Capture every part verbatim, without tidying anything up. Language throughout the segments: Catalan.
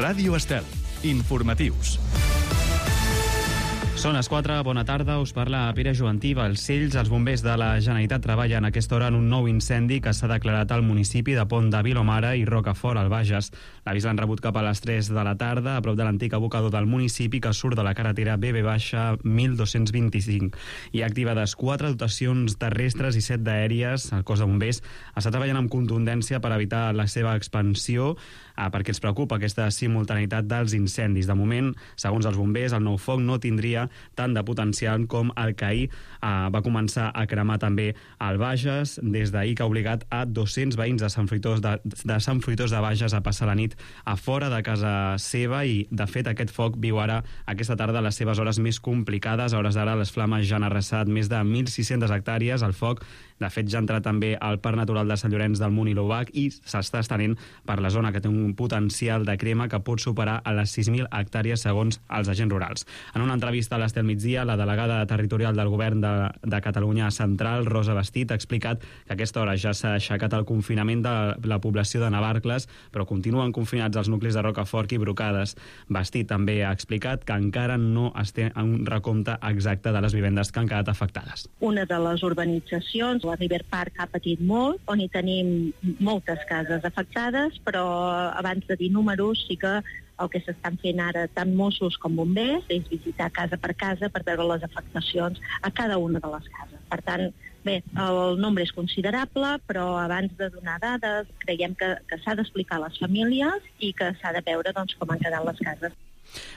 Ràdio Estel. Informatius. Són les quatre, bona tarda, us parla Pere Joantí. Balcells, els bombers de la Generalitat treballen a aquesta hora en un nou incendi que s'ha declarat al municipi de Pont de Vilomara i Rocafort, al Bages. L'avís l'han rebut cap a les tres de la tarda, a prop de l'antic abocador del municipi que surt de la carretera B B mil dos-cents vint-i-cinc. Hi ha activades quatre dotacions terrestres i set d'aèries. El cos de bombers està treballant amb contundència per evitar la seva expansió, eh, perquè ens preocupa aquesta simultaneïtat dels incendis. De moment, segons els bombers, el nou foc no tindria tant de potencial com el que ahir eh, va començar a cremar també al Bages, des d'ahir que ha obligat a dos-cents veïns de Sant Fruitós de, de Sant Fruitós de Bages a passar la nit a fora de casa seva i, de fet, aquest foc viu ara aquesta tarda les seves hores més complicades. A hores d'ara les flames ja han arrasat més de mil sis-centes hectàrees. El foc, de fet, ja ha entrat també al Parc Natural de Sant Llorenç del Munt i l'Obac i s'està estenent per la zona, que té un potencial de crema que pot superar a les sis mil hectàrees segons els agents rurals. En una entrevista a l'Estel Migdia, la delegada territorial del govern de, de Catalunya Central, Rosa Bastit, ha explicat que a aquesta hora ja s'ha aixecat el confinament de la població de Navarcles, però continuen confinats els nuclis de Rocafort i Brocades. Bastit també ha explicat que encara no es té un recompte exacte de les vivendes que han quedat afectades. Una de les urbanitzacions, la River Park, ha patit molt, on hi tenim moltes cases afectades, però abans de dir números sí que el que s'estan fent ara tant Mossos com bombers és visitar casa per casa per veure les afectacions a cada una de les cases. Per tant, bé, el nombre és considerable, però abans de donar dades creiem que, que s'ha d'explicar a les famílies i que s'ha de veure doncs, com han quedat les cases.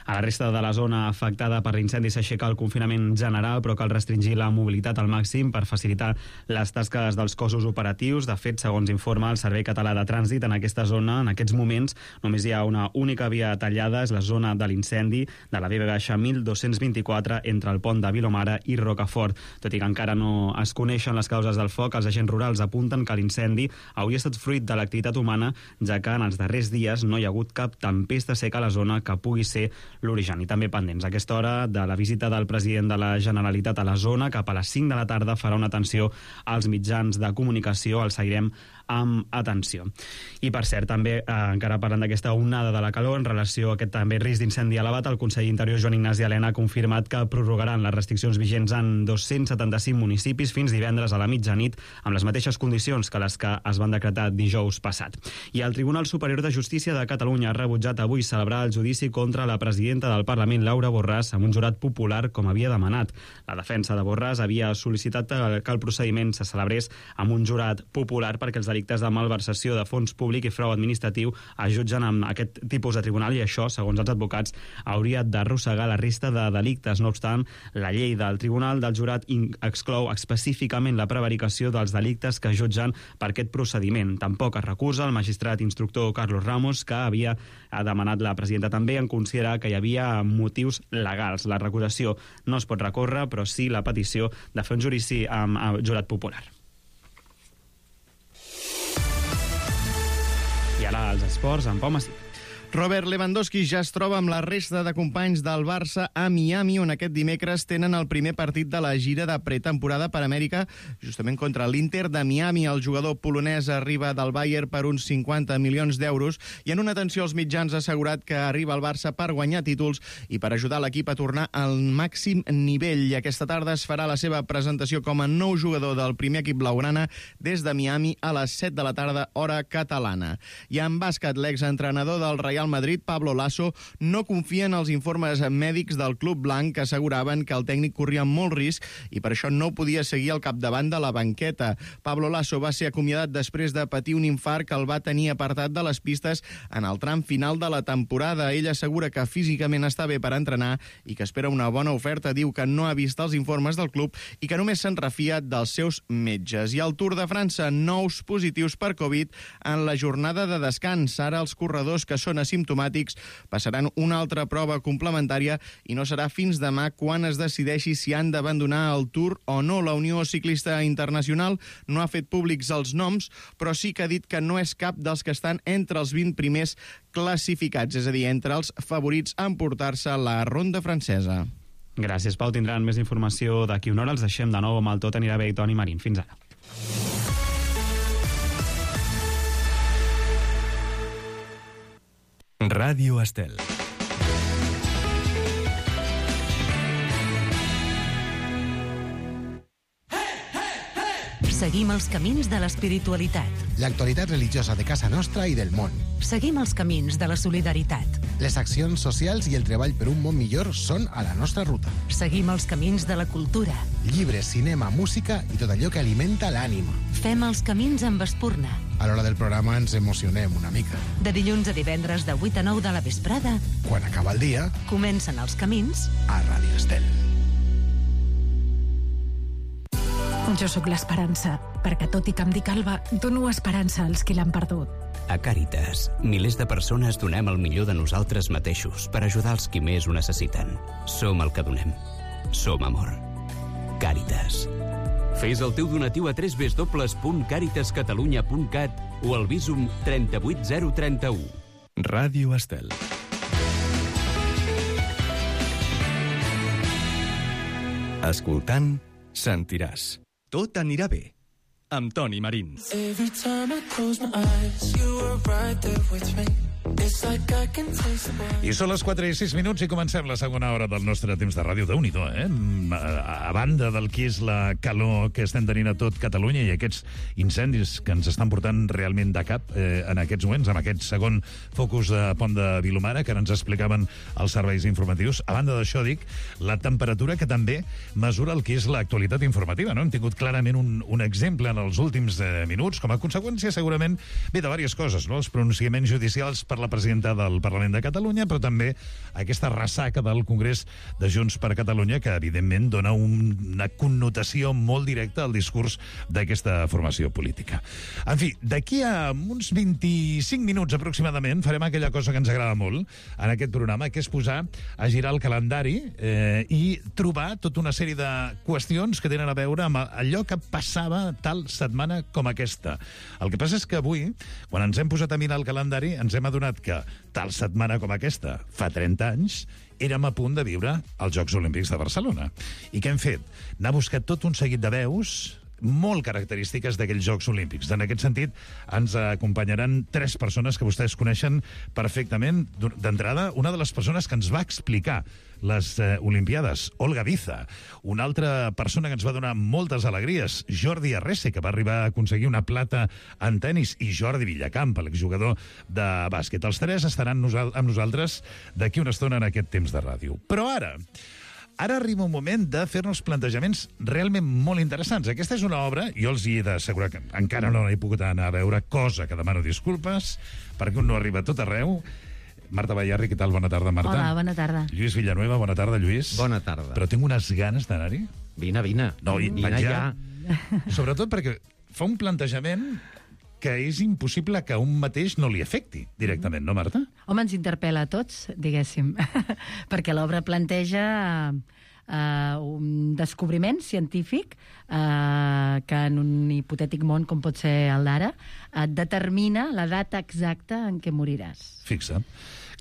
A la resta de la zona afectada per l'incendi s'aixeca el confinament general, però cal restringir la mobilitat al màxim per facilitar les tasques dels cossos operatius. De fet, segons informa el Servei Català de Trànsit, en aquesta zona, en aquests moments, només hi ha una única via tallada, és la zona de l'incendi de la B B mil dos-cents vint-i-quatre entre el Pont de Vilomara i Rocafort. Tot i que encara no es coneixen les causes del foc, els agents rurals apunten que l'incendi hauria estat fruit de l'activitat humana, ja que en els darrers dies no hi ha hagut cap tempesta seca a la zona que pugui ser l'origen. I també pendents a aquesta hora de la visita del president de la Generalitat a la zona. Cap a les cinc de la tarda farà una atenció als mitjans de comunicació. El seguirem amb atenció. I per cert, també, eh, encara parlant d'aquesta onada de la calor, en relació a aquest també risc d'incendi elevat, el conseller d'Interior Joan Ignasi Elena ha confirmat que prorrogaran les restriccions vigents en dos-cents setanta-cinc municipis fins divendres a la mitjanit, amb les mateixes condicions que les que es van decretar dijous passat. I el Tribunal Superior de Justícia de Catalunya ha rebutjat avui celebrar el judici contra la presidenta del Parlament, Laura Borràs, amb un jurat popular com havia demanat. La defensa de Borràs havia sol·licitat que el procediment se celebrés amb un jurat popular perquè els delictes de malversació de fons públic i frau administratiu es jutgen amb aquest tipus de tribunal i això, segons els advocats, hauria d'arrossegar la resta de delictes. No obstant, la llei del Tribunal del Jurat exclou específicament la prevaricació dels delictes que jutgen per aquest procediment. Tampoc es recusa el magistrat instructor Carlos Ramos, que havia demanat la presidenta també en considerar que hi havia motius legals. La recusació no es pot recórrer, però sí la petició de fer un judici amb jurat popular. I ara els esports amb Pau Massí. Robert Lewandowski ja es troba amb la resta de companys del Barça a Miami, on aquest dimecres tenen el primer partit de la gira de pretemporada per Amèrica, justament contra l'Inter de Miami. El jugador polonès arriba del Bayern per uns cinquanta milions d'euros i en una atenció als mitjans ha assegurat que arriba al Barça per guanyar títols i per ajudar l'equip a tornar al màxim nivell. I aquesta tarda es farà la seva presentació com a nou jugador del primer equip blaugrana des de Miami a les set de la tarda, hora catalana. I en bàsquet, l'exentrenador del Real Madrid, Pablo Lasso, no confia en els informes mèdics del club blanc que asseguraven que el tècnic corria molt risc i per això no podia seguir al capdavant de la banqueta. Pablo Lasso va ser acomiadat després de patir un infart que el va tenir apartat de les pistes en el tram final de la temporada. Ell assegura que físicament està bé per entrenar i que espera una bona oferta. Diu que no ha vist els informes del club i que només se'n refia dels seus metges. I al Tour de França, nous positius per Covid en la jornada de descans. Ara els corredors que són asimptomàtics passaran una altra prova complementària i no serà fins demà quan es decideixi si han d'abandonar el Tour o no. La Unió Ciclista Internacional no ha fet públics els noms, però sí que ha dit que no és cap dels que estan entre els vint primers classificats, és a dir, entre els favorits a emportar-se la ronda francesa. Gràcies, Pau. Tindran més informació d'aquí una hora. Els deixem de nou amb el Tot anirà bé i Toni Marín. Fins ara. Ràdio Estel. Seguim els camins de l'espiritualitat. L'actualitat religiosa de casa nostra i del món. Seguim els camins de la solidaritat. Les accions socials i el treball per un món millor són a la nostra ruta. Seguim els camins de la cultura. Llibres, cinema, música i tot allò que alimenta l'ànima. Fem els camins amb Espurna. A l'hora del programa ens emocionem una mica. De dilluns a divendres de vuit a nou de la vesprada, Quan acaba el dia, comencen els camins a Ràdio Estel. Jo sóc l'Esperança, perquè tot i que em dic Alba, dono esperança als qui l'han perdut. A Càritas, milers de persones donem el millor de nosaltres mateixos per ajudar els qui més ho necessiten. Som el que donem. Som amor. Càritas. Fes el teu donatiu a w w w punt càritas catalunya punt cat o al Bizum trenta-vuit zero trenta-u. Ràdio Estel. Escoltant, sentiràs. Tot anirà bé. Amb Toni Marín. Every time I close my eyes, you were right there with me. It's like I can taste the blood. I són les quatre i sis minuts i comencem la segona hora del nostre temps de ràdio. Déu-n'hi-do, eh? A, a banda del que és la calor que estem tenint a tot Catalunya i aquests incendis que ens estan portant realment de cap eh, en aquests moments, amb aquest segon focus de Pont de Vilomara que ens explicaven els serveis informatius. A banda d'això, dic, la temperatura que també mesura el que és l'actualitat informativa, no? Hem tingut clarament un, un exemple en els últims eh, minuts, com a conseqüència segurament ve de diverses coses, no? Els pronunciaments judicials per la presidenta del Parlament de Catalunya, però també aquesta ressaca del Congrés de Junts per Catalunya, que evidentment dona un, una connotació molt directa al discurs d'aquesta formació política. En fi, d'aquí a uns vint-i-cinc minuts aproximadament farem aquella cosa que ens agrada molt en aquest programa, que és posar a girar el calendari eh, i trobar tota una sèrie de qüestions que tenen a veure amb allò que passava tal setmana com aquesta. El que passa és que avui, quan ens hem posat a mirar el calendari, ens hem adonat que tal setmana com aquesta, fa trenta anys, érem a punt de viure els Jocs Olímpics de Barcelona. I què hem fet? N'ha buscat tot un seguit de veus molt característiques d'aquells Jocs Olímpics. En aquest sentit, ens acompanyaran tres persones que vostès coneixen perfectament. D'entrada, una de les persones que ens va explicar les eh, Olimpiades, Olga Biza. Una altra persona que ens va donar moltes alegries, Jordi Arrese, que va arribar a aconseguir una plata en tennis, i Jordi Villacamp, l'exjugador de bàsquet. Els tres estaran nosal- amb nosaltres d'aquí una estona en aquest temps de ràdio. Però ara... Ara arriba un moment de fer-nos plantejaments realment molt interessants. Aquesta és una obra, jo els hi he d'assegurar que encara no he pogut anar a veure, cosa que demano disculpes, perquè un no arriba a tot arreu. Marta Bayarri, què tal? Bona tarda, Marta. Hola, bona tarda. Lluís Villanueva, bona tarda, Lluís. Bona tarda. Però tinc unes ganes d'anar-hi. Vine, vine. No, i, vine ja. ja. Sobretot perquè fa un plantejament que és impossible que un mateix no li afecti directament, no, Marta? Home, ens interpel·la a tots, diguéssim, perquè l'obra planteja uh, un descobriment científic uh, que en un hipotètic món com pot ser el d'ara et determina la data exacta en què moriràs. Fixa.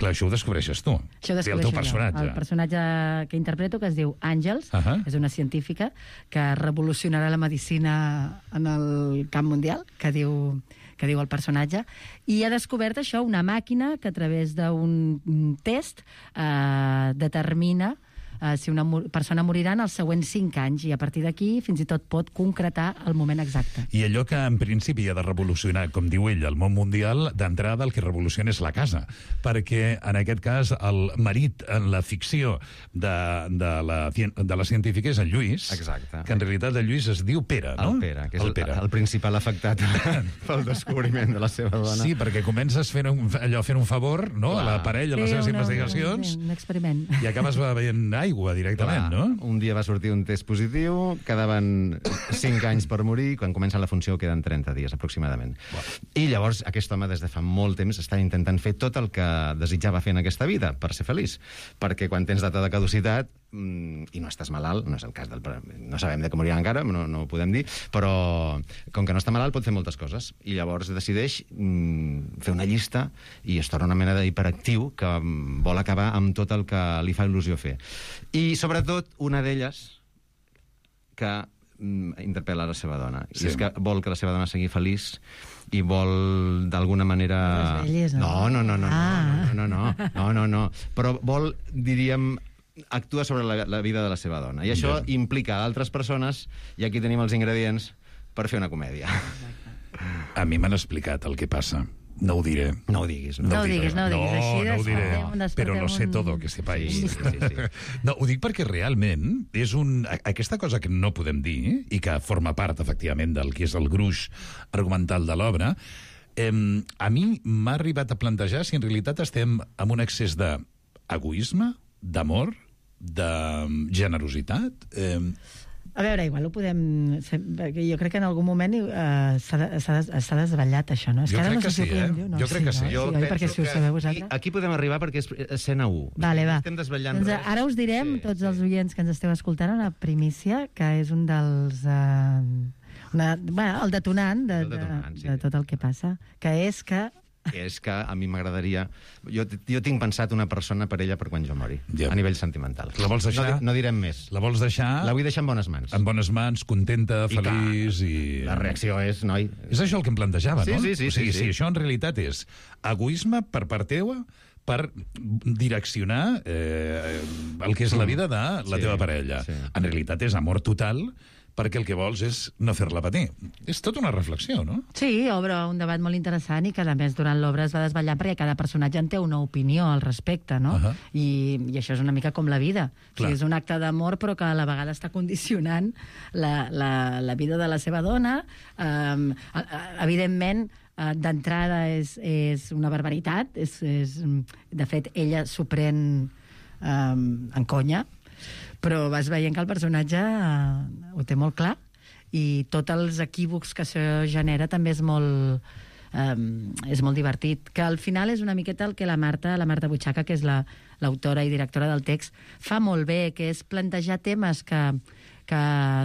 Clar, això ho descobreixes tu. Això ho el teu personatge. Jo. El personatge que interpreto, que es diu Àngels, uh -huh. és una científica que revolucionarà la medicina en el camp mundial, que diu, que diu el personatge, i ha descobert això, una màquina que a través d'un test eh, determina Uh, si una persona morirà en els següents cinc anys, i a partir d'aquí fins i tot pot concretar el moment exacte. I allò que en principi ha de revolucionar, com diu ell, el món mundial, d'entrada el que revoluciona és la casa, perquè en aquest cas el marit en la ficció de, de, la, de la científica és el Lluís. Exacte. Que en realitat el Lluís es diu Pere, no? El Pere, que és el, Pere. el, el principal afectat pel descobriment de la seva dona. Sí, perquè comences fent un, allò fent un favor, no?, Clar. a la parella, a les sí, seves una, investigacions, un, un experiment. I acabes veient aigua directament, Clar, no? Un dia va sortir un test positiu, quedaven cinc anys per morir, quan comença la funció queden trenta dies, aproximadament. Wow. I llavors aquest home, des de fa molt temps, està intentant fer tot el que desitjava fer en aquesta vida, per ser feliç. Perquè quan tens data de caducitat, mm, i no estàs malalt, no és el cas del... No sabem de què morirà encara, no, no ho podem dir, però com que no està malalt pot fer moltes coses. I llavors decideix mm, fer una llista i es torna una mena d'hiperactiu que mm, vol acabar amb tot el que li fa il·lusió fer. I sobretot una d'elles que mm, interpel·la la seva dona. Sí. I és que vol que la seva dona sigui feliç i vol, d'alguna manera... Les velles, no? No, no, no, no, Ah. no, no, no, no, no, no, no. Però vol, diríem, actua sobre la, la vida de la seva dona. I això Ja. implica altres persones, i aquí tenim els ingredients per fer una comèdia. A mi m'han explicat el que passa. No ho diré. No ho diguis. No ho diré. diguis, no ho diguis. Així No, no ho diré. despertem- despertem Però lo sé un- todo, que sepáis. Sí, sí, sí. No, ho dic perquè realment és un... a- aquesta cosa que no podem dir i que forma part, efectivament, del que és el gruix argumental de l'obra, eh, a mi m'ha arribat a plantejar si en realitat estem amb un excés d'egoisme, d'amor, de generositat... Eh, A veure, igual ho podem... Perquè jo crec que en algun moment eh, s'ha de- s'ha des- s'ha desvetllat, això, no? És Jo ara crec no sé que si ho sí, podem eh? dir o no. Jo crec que sí. No? Jo oi? penso Perquè si ho que sabeu aquí, vosaltres... aquí podem arribar perquè és escena u. Vale, va. Estem desvetllant Doncs res. ara us direm, Sí, tots sí. els oients que ens esteu escoltant, una primícia, que és un dels... Eh, una, bueno, el detonant, de, El detonant, de, sí. de tot el que passa, que és que... Que és que a mi m'agradaria... Jo, jo tinc pensat una persona per ella per quan jo mori, Ja. a nivell sentimental. La vols deixar? No, di- no direm més. La vols deixar... La vull deixar en bones mans. En bones mans, contenta, I feliç i... La reacció és, noi... És això el que em plantejava, Sí, no? sí, sí, o sigui, sí, sí. si això en realitat és egoisme per part teua per direccionar eh, el que és la vida de la Sí, teva parella. sí. En realitat és amor total perquè el que vols és no fer-la patir. És tota una reflexió, no? Sí, obre un debat molt interessant i que, a més, durant l'obra es va desvetllar perquè cada personatge en té una opinió al respecte, no? Ahà. I, I això és una mica com la vida. O Clar. sigui, és un acte d'amor, però que a la vegada està condicionant la, la, la vida de la seva dona. Um, evidentment, uh, d'entrada és, és una barbaritat. És, és, de fet, ella s'ho pren um, en conya, però vas veient que el personatge uh, ho té molt clar i tots els equívocs que això genera també és molt, um, és molt divertit. Que al final és una miqueta el que la Marta, la Marta Butxaca, que és la, l'autora i directora del text, fa molt bé, que és plantejar temes que, que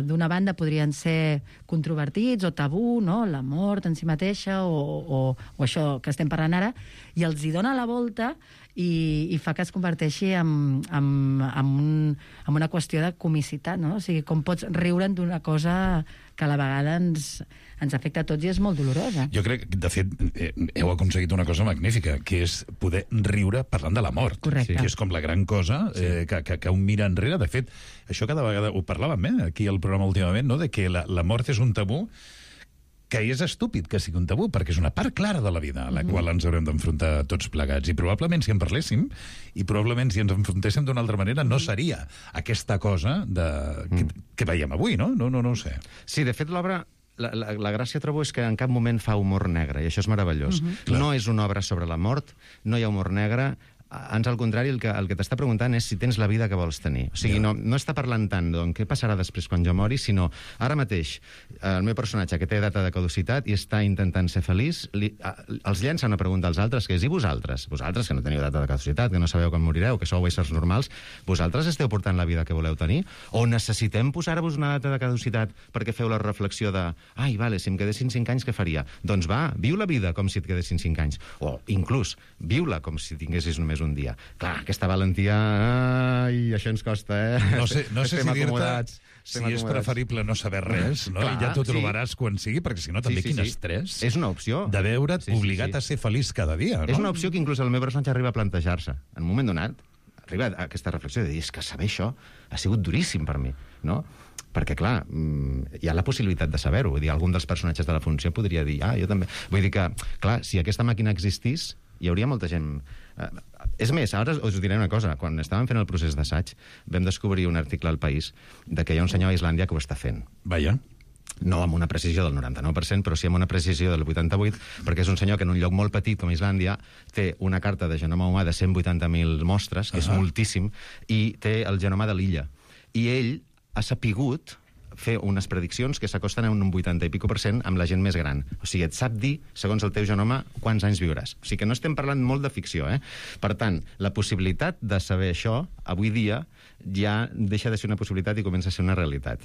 d'una banda podrien ser controvertits o tabú, no? La mort en si mateixa o, o, o això que estem parlant ara, i els hi dona la volta i, i fa que es converteixi en, en, en, un, en una qüestió de comicitat, no? O sigui, com pots riure'n d'una cosa que a la vegada ens, ens afecta a tots i és molt dolorosa. Jo crec que, de fet, eh, heu aconseguit una cosa magnífica, que és poder riure parlant de la mort. Correcte. Que és com la gran cosa eh, que, que, que un mira enrere. De fet, això cada vegada ho parlàvem eh, aquí al programa últimament, no? De que la, la mort és un tabú que és estúpid que sigui un tabú, perquè és una part clara de la vida a la mm-hmm. qual ens haurem d'enfrontar tots plegats. I probablement si en parléssim, i probablement si ens enfrontéssim d'una altra manera, no seria aquesta cosa de, que, que veiem avui, no? No, no, no ho sé. Sí, de fet, l'obra... La, la, la gràcia, trobo, és que en cap moment fa humor negre, i això és meravellós. Mhm. No és una obra sobre la mort, no hi ha humor negre, ans al contrari, el que, el que t'està preguntant és si tens la vida que vols tenir. O sigui, Ja. no, no està parlant tant d'on què passarà després quan jo mori, sinó ara mateix el meu personatge que té data de caducitat i està intentant ser feliç, li, a, els llença una pregunta als altres, que és, i vosaltres? Vosaltres, que no teniu data de caducitat, que no sabeu quan morireu, que sou éssers normals, vosaltres esteu portant la vida que voleu tenir? O necessitem posar-vos una data de caducitat perquè feu la reflexió de, ai, vale, si em quedessin cinc anys, què faria? Doncs va, viu la vida com si et quedessin cinc anys. O, inclús, viu-la com si tinguessis només un dia. Clar, aquesta valentia... Ai, això ens costa, eh? No sé, no sé Estem si dir-te acomodats, si estem és acomodats. preferible no saber res, no? Clar, I ja t'ho sí. trobaràs quan sigui, perquè si no també Sí, sí, quin sí. estrès És una opció. de veure't Sí, sí, obligat sí. a ser feliç cada dia, no? És una opció que inclús el meu personatge arriba a plantejar-se. En un moment donat, arriba a aquesta reflexió de dir, és que saber això ha sigut duríssim per mi, no? Perquè, clar, mm, hi ha la possibilitat de saber-ho. Vull dir, algun dels personatges de la funció podria dir, ah, jo també... Vull dir que, clar, si aquesta màquina existís, hi hauria molta gent... Eh, és més, ara us diré una cosa. Quan estàvem fent el procés d'assaig, vam descobrir un article al País de que hi ha un senyor a Islàndia que ho està fent. Vaja. No amb una precisió del noranta-nou per cent, però sí amb una precisió del vuitanta-vuit, perquè és un senyor que en un lloc molt petit com Islàndia té una carta de genoma humà de cent vuitanta mil mostres, que és Ah. moltíssim, i té el genoma de l'illa. I ell ha sapigut fer unes prediccions que s'acosten a un vuitanta i pico per cent amb la gent més gran. O sigui, et sap dir, segons el teu genoma, quants anys viuràs. O sigui que no estem parlant molt de ficció, eh? Per tant, la possibilitat de saber això, avui dia, ja deixa de ser una possibilitat i comença a ser una realitat.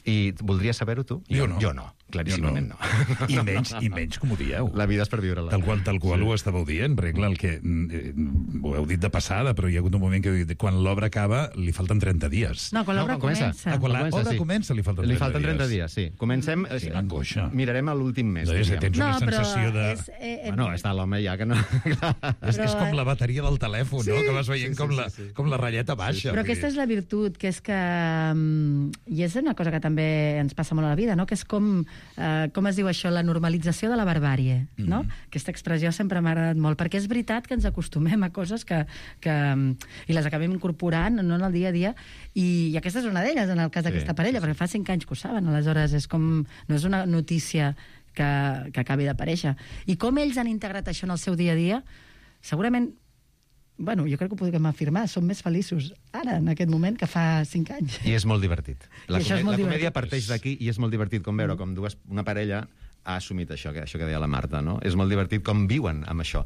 I voldries saber-ho, tu? Jo no. Jo no, claríssimament no. no. I, menys, I menys com ho dieu. La vida és per viure-la. Tal qual, tal qual sí. ho estàveu dient, perquè clar, el que, eh, ho heu dit de passada, però hi ha hagut un moment que heu dit, quan l'obra acaba li falten trenta dies. No, quan l'obra no, comença. comença. Ah, quan l'obra sí. comença li falten trenta dies. Li falten trenta dies, sí. Comencem... Quina angoixa. Mirarem a l'últim mes. No, és que tens no, una sensació de... És, eh, eh, bueno, està l'home ja que no... és, però... és com la bateria del telèfon, sí, no? Que vas veient sí, sí, com, la, sí, sí. com la ratlleta baixa. Però aquesta és la virtut, que és que... I és una cosa que també ens passa molt a la vida, no? Que és com, eh, com es diu això, la normalització de la barbàrie, no? Mm. Aquesta expressió sempre m'ha agradat molt, perquè és veritat que ens acostumem a coses que, que i les acabem incorporant, no, en el dia a dia, i, i aquesta és una d'elles, en el cas d'aquesta sí, parella, sí, sí. perquè fa cinc anys que ho saben, aleshores és com... no és una notícia que, que acabi d'aparèixer. I com ells han integrat això en el seu dia a dia, segurament... Bueno, jo crec que ho podem afirmar, som més feliços ara, en aquest moment, que fa cinc anys. I és molt divertit. La, comèdia, molt la comèdia divertit. parteix d'aquí i és molt divertit com veure com dues, una parella ha assumit això, que, això que deia la Marta, no? És molt divertit com viuen amb això.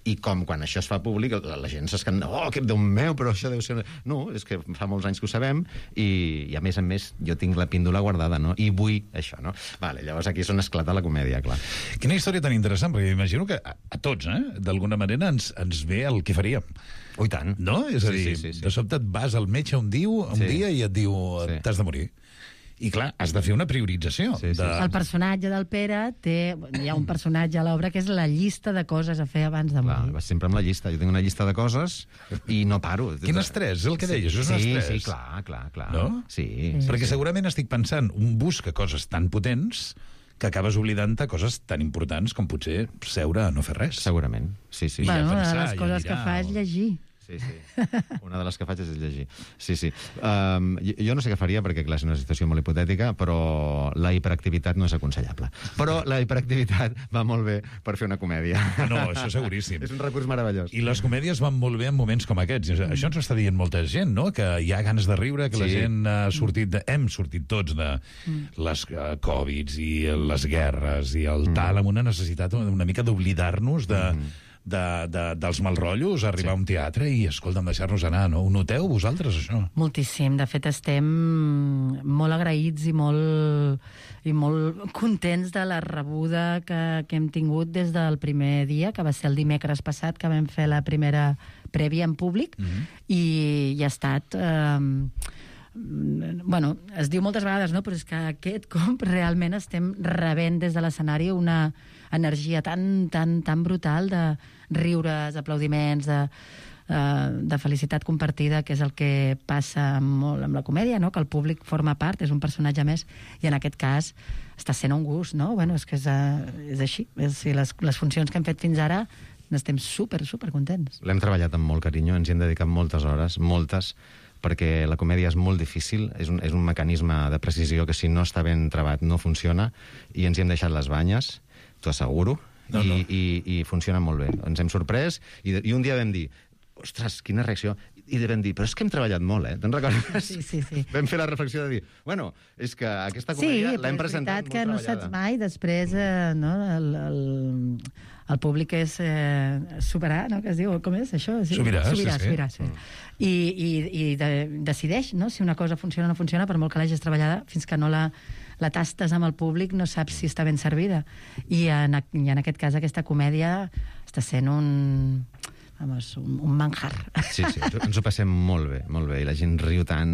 I com quan això es fa públic, la, la gent s'escanda, oh, que Déu meu, però això deu ser... No, és que fa molts anys que ho sabem i, i a més a més jo tinc la píndola guardada, no? I vull això, no? Vale, llavors aquí és on esclata la comèdia, clar. Quina història tan interessant, perquè imagino que a, a tots, eh, d'alguna manera ens, ens ve el que faríem. Oh, i tant. No? És a sí, dir, sí, sí, sí. de sobte et vas al metge un, diu, un sí. dia i et diu sí. t'has de morir. I clar, has de fer una priorització. Sí, sí. De... El personatge del Pere té... Hi ha un personatge a l'obra que és la llista de coses a fer abans de morir. Clar, vas sempre amb la llista. Jo tinc una llista de coses i no paro. Quin estrès, és el que deies, és un sí, estrès. Sí, clar, clar, clar. No? Sí, sí. Perquè sí. segurament estic pensant, un busca coses tan potents que acabes oblidant-te coses tan importants com potser seure a no fer res. Segurament, sí, sí. Bueno, pensar, una de les coses que fa és llegir. Sí, sí. Una de les que faig és llegir. Sí, sí. Um, jo, jo no sé què faria, perquè clar, és una situació molt hipotètica, però la hiperactivitat no és aconsellable. Però la hiperactivitat va molt bé per fer una comèdia. Ah, no, això seguríssim. És un recurs meravellós. I les comèdies van molt bé en moments com aquests. Mm. Això ens ho està dient molta gent, no? Que hi ha ganes de riure, que sí. la gent ha sortit de... hem sortit tots de mm. les uh, Covids i les guerres i el mm. tal, amb una necessitat una mica d'oblidar-nos de... Mm. De, de, dels malrotllos, arribar sí. a un teatre i, escolta'm, deixar-nos anar, no? Ho noteu vosaltres, això? Moltíssim. De fet, estem molt agraïts i molt, i molt contents de la rebuda que, que hem tingut des del primer dia, que va ser el dimecres passat, que vam fer la primera prèvia en públic, mm-hmm. i, i ha estat... Eh, bueno, es diu moltes vegades, no? Però és que aquest cop realment estem rebent des de l'escenari una energia tan, tan, tan brutal de riures, aplaudiments, de, de felicitat compartida, que és el que passa molt amb la comèdia, no? Que el públic forma part, és un personatge més, i en aquest cas està sent un gust, no? Bueno, és que és, és així. És, les, les funcions que hem fet fins ara n'estem super, super contents. L'hem treballat amb molt carinyo, ens hi hem dedicat moltes hores, moltes, perquè la comèdia és molt difícil, és un, és un mecanisme de precisió que si no està ben trebat no funciona, i ens hi hem deixat les banyes, t'ho asseguro, no, i, no. I, i funciona molt bé. Ens hem sorprès, i, i un dia vam dir, ostres, quina reacció, i vam dir, però és que hem treballat molt, eh? Te'n recordes? Sí, sí, sí. Vam fer la reflexió de dir, bueno, és que aquesta comèdia sí, l'hem presentat molt que treballada. no saps mai, després, eh, no, el, el, el públic és eh, superar, no?, que es diu, com és això? Sí. Sobirà, sobirà, sí, sobirà, sí. Mm. I, i, i de, decideix, no?, si una cosa funciona o no funciona, per molt que l'hagis treballada, fins que no la, la tastes amb el públic no saps si està ben servida. I en, i en aquest cas aquesta comèdia està sent un... Vamos, un, un manjar. Sí, sí, ens ho passem molt bé, molt bé, i la gent riu tant.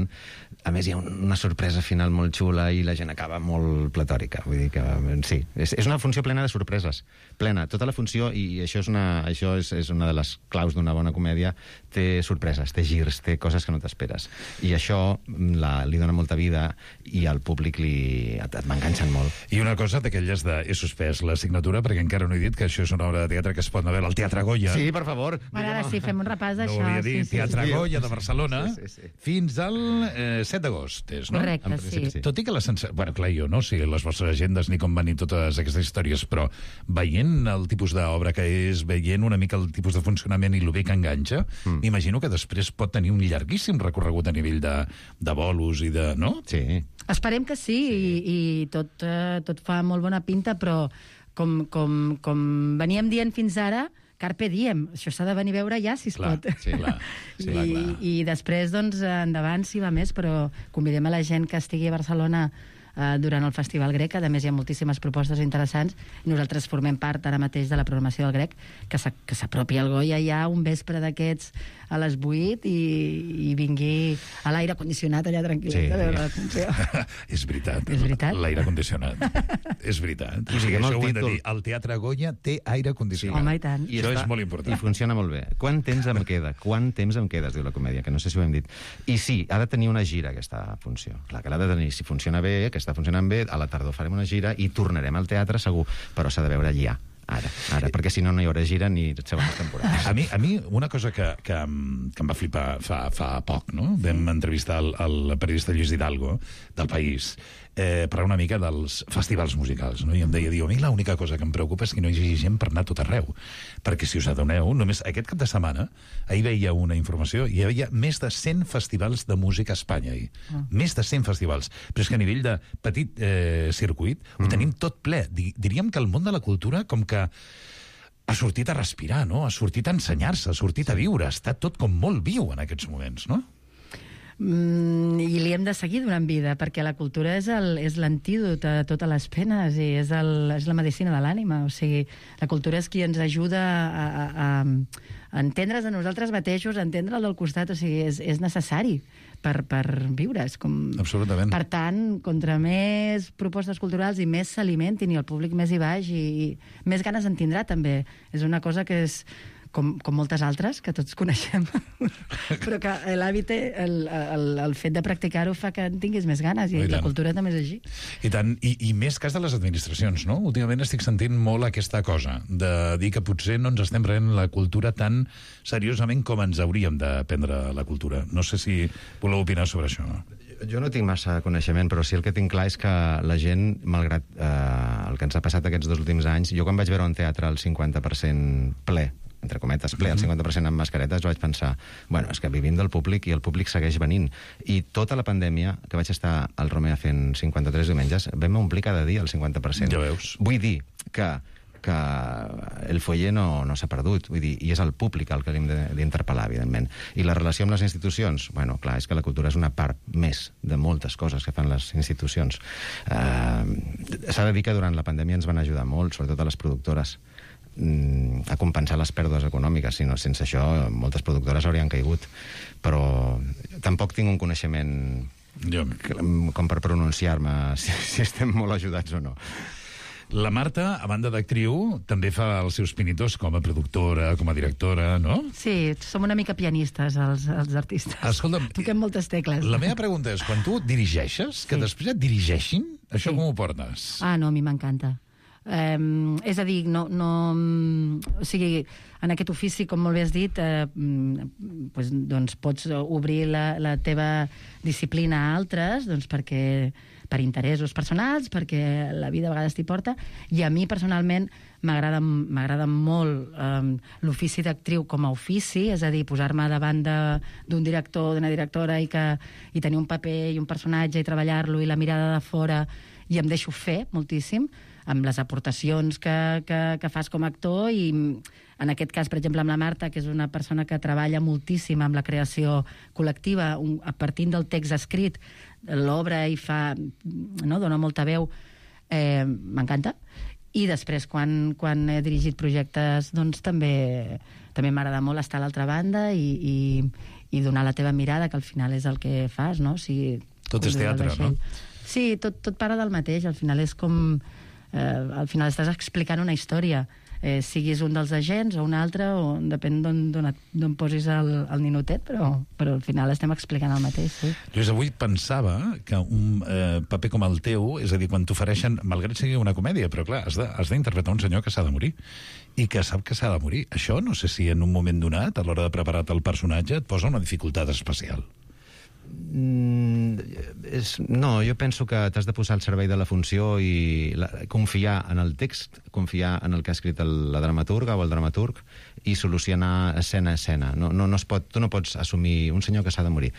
A més, hi ha una sorpresa final molt xula i la gent acaba molt platòrica. Vull dir que, sí, és, és una funció plena de sorpreses. Plena, tota la funció, i això és una, això és, és una de les claus d'una bona comèdia, té sorpreses, té girs, té coses que no t'esperes. I això la, li dona molta vida i al públic li, et, et m'enganxen molt. I una cosa d'aquelles de... He suspès l'assignatura perquè encara no he dit que això és una obra de teatre que es pot anar a veure al Teatre Goya. Sí, per favor. Bueno, ara sí, fem un repàs d'això. No volia dir, sí, Teatre sí, Goya de Barcelona, sí, sí, sí. fins al eh, set d'agost, és, no? Correcte, sí. sí. Tot i que la sensació... Bueno, clar, jo no sé les vostres agendes ni com van ir totes aquestes històries, però veient el tipus d'obra que és, veient una mica el tipus de funcionament i el bé que enganxa, mm. imagino que després pot tenir un llarguíssim recorregut a nivell de, de bolos i de... No? Sí. Esperem que sí, sí. i, i tot, uh, tot fa molt bona pinta, però com, com, com veníem dient fins ara, carpe diem, això s'ha de venir a veure ja, si es clar, pot. Sí, clar. Sí, I, clar, clar. I després, doncs, endavant, si va més, però convidem a la gent que estigui a Barcelona eh, durant el Festival Grec. A més, hi ha moltíssimes propostes interessants. Nosaltres formem part ara mateix de la programació del Grec, que s'apropi al Goya ja un vespre d'aquests a les vuit i, i vingui a l'aire condicionat allà tranquil·let sí. a veure la funció. És veritat. És veritat? L'aire condicionat. És veritat. O sigui, això ho hem de dir. El Teatre Goya té aire condicionat. Sí. Home, i tant. I això està, és molt important. I funciona molt bé. Quant temps em queda? Quant temps em queda, es diu la comèdia, que no sé si ho hem dit. I sí, ha de tenir una gira, aquesta funció. Clar que l'ha de tenir. Si funciona bé, que està funcionant bé, a la tardor farem una gira i tornarem al teatre, segur, però s'ha de veure allà. Ara, ara, perquè si no no hi haurà gira ni segones temporades. A mi, a mi una cosa que, que, que em va flipar fa, fa poc, no? Vam entrevistar el, el periodista Lluís Hidalgo del País eh, per una mica dels festivals musicals, no? I em deia, diu, a mi l'única cosa que em preocupa és que no hi hagi gent per anar a tot arreu, perquè si us adoneu, només aquest cap de setmana, ahir veia una informació, hi havia més de cent festivals de música a Espanya, ahir. Ah. Més de cent festivals. Però és que a nivell de petit eh, circuit ho mm. tenim tot ple. Diríem que el món de la cultura com que ha sortit a respirar, no? Ha sortit a ensenyar-se, ha sortit a viure, està tot com molt viu en aquests moments, no? Mm, i li hem de seguir donant vida, perquè la cultura és el, és l'antídot a totes les penes i és, el, és la medicina de l'ànima. O sigui, la cultura és qui ens ajuda a, a, a entendre's a nosaltres mateixos, a entendre el del costat, o sigui, és, és necessari per, per viure. És com... Absolutament. Per tant, contra més propostes culturals i més s'alimentin i el públic més hi vagi, i més ganes en tindrà també. És una cosa que és... Com, com moltes altres, que tots coneixem, però que l'hàbit, el, el, el fet de practicar-ho fa que en tinguis més ganes, i, I la cultura també és així. I tant, i, i més cas de les administracions, no? Últimament estic sentint molt aquesta cosa, de dir que potser no ens estem prenent la cultura tan seriosament com ens hauríem de prendre la cultura. No sé si voleu opinar sobre això. Jo no tinc massa coneixement, però sí el que tinc clar és que la gent, malgrat eh, el que ens ha passat aquests dos últims anys, jo quan vaig veure un teatre al cinquanta per cent ple, entre cometes, ple, el cinquanta per cent amb mascaretes, vaig pensar, bueno, és que vivim del públic i el públic segueix venint. I tota la pandèmia, que vaig estar al Romea fent cinquanta-tres diumenges, vam omplir cada dia el cinquanta per cent. Ja veus. Vull dir que que el foller no, no s'ha perdut, vull dir, i és el públic el que hem d'interpel·lar, evidentment. I la relació amb les institucions, bueno, clar, és que la cultura és una part més de moltes coses que fan les institucions. Eh, s'ha de dir que durant la pandèmia ens van ajudar molt, sobretot a les productores, a compensar les pèrdues econòmiques, si no, sense això moltes productores haurien caigut, però tampoc tinc un coneixement jo. com per pronunciar-me si, si estem molt ajudats o no. La Marta, a banda d'actriu, també fa els seus pinitos com a productora, com a directora, no? Sí, som una mica pianistes, els, els artistes. Escolta'm, toquem moltes tecles. La meva pregunta és, quan tu dirigeixes, que sí. després et dirigeixin, això sí. com ho portes? Ah, no, a mi m'encanta. Um, és a dir, no, no, o sigui, en aquest ofici, com molt bé has dit, eh, pues, doncs pots obrir la, la teva disciplina a altres, doncs perquè, per interessos personals, perquè la vida a vegades t'hi porta, i a mi personalment m'agrada m'agrada molt um, l'ofici d'actriu com a ofici, és a dir, posar-me davant d'un director, d'una directora i, que, i tenir un paper i un personatge i treballar-lo i la mirada de fora, i em deixo fer moltíssim amb les aportacions que, que, que fas com a actor, i en aquest cas, per exemple, amb la Marta, que és una persona que treballa moltíssim amb la creació col·lectiva, un, a partir del text escrit, l'obra i fa, no, dona molta veu, eh, m'encanta. I després, quan, quan he dirigit projectes, doncs també també m'agrada molt estar a l'altra banda i, i, i donar la teva mirada, que al final és el que fas, no? Si, tot és teatre, no? Sí, tot, tot para del mateix, al final és com... Eh, al final estàs explicant una història, eh, siguis un dels agents o un altre, o depèn d'on posis el, el ninotet, però, però al final estem explicant el mateix, sí. Lluís, avui pensava que un eh, paper com el teu, és a dir, quan t'ofereixen, malgrat sigui una comèdia, però clar, has d'interpretar un senyor que s'ha de morir i que sap que s'ha de morir. Això no sé si en un moment donat, a l'hora de preparar el personatge, et posa una dificultat especial. Mm, és, no, jo penso que t'has de posar al servei de la funció i la, confiar en el text, confiar en el que ha escrit el, la dramaturga o el dramaturg i solucionar escena a escena. No, no, no es pot, tu no pots assumir un senyor que s'ha de morir.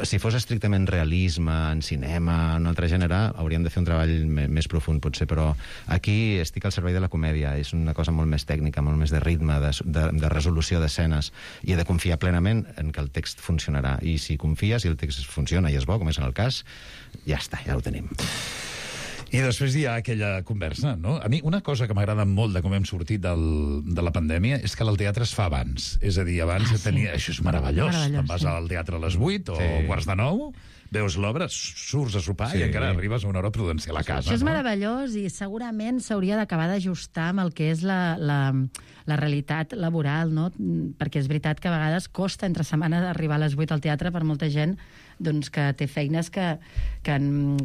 Si fos estrictament realisme, en cinema, en un altre gènere, hauríem de fer un treball me, més profund, potser, però aquí estic al servei de la comèdia. És una cosa molt més tècnica, molt més de ritme, de, de, de resolució d'escenes, i he de confiar plenament en que el text funcionarà. I si confies i el text funciona i és bo, com és en el cas, ja està, ja ho tenim. I després hi ha aquella conversa, no? A mi una cosa que m'agrada molt de com hem sortit del, de la pandèmia és que el teatre es fa abans. És a dir, abans ah, sí. tenia... Això és meravellós. meravellós Te'n vas sí. al teatre a les vuit o sí. quarts de nou, veus l'obra, surts a sopar sí. i encara arribes a una hora prudencial a casa. Això és no? meravellós i segurament s'hauria d'acabar d'ajustar amb el que és la, la, la realitat laboral, no? Perquè és veritat que a vegades costa entre setmana arribar a les vuit al teatre per molta gent doncs, que té feines que, que,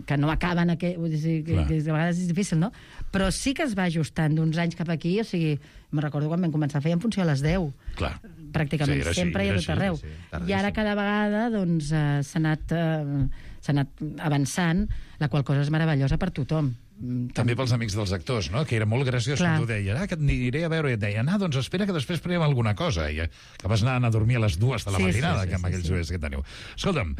que no acaben, que, que, que a vegades és difícil, no? Però sí que es va ajustant d'uns anys cap aquí, o sigui, me'n recordo quan vam començar a fer en funció a les deu. Clar. Pràcticament, sí, sempre i a tot arreu. Sí, sí, I ara cada vegada doncs, eh, s'ha anat, eh, s'ha anat avançant, la qual cosa és meravellosa per tothom. També pels amics dels actors, no? Que era molt graciós quan tu deies, ah, que et aniré a veure, i et deien, ah, doncs espera que després prenem alguna cosa, i acabes anant a dormir a les dues de la sí, matinada, sí, sí, que amb sí, aquells sí. horaris que teniu. Escolta'm,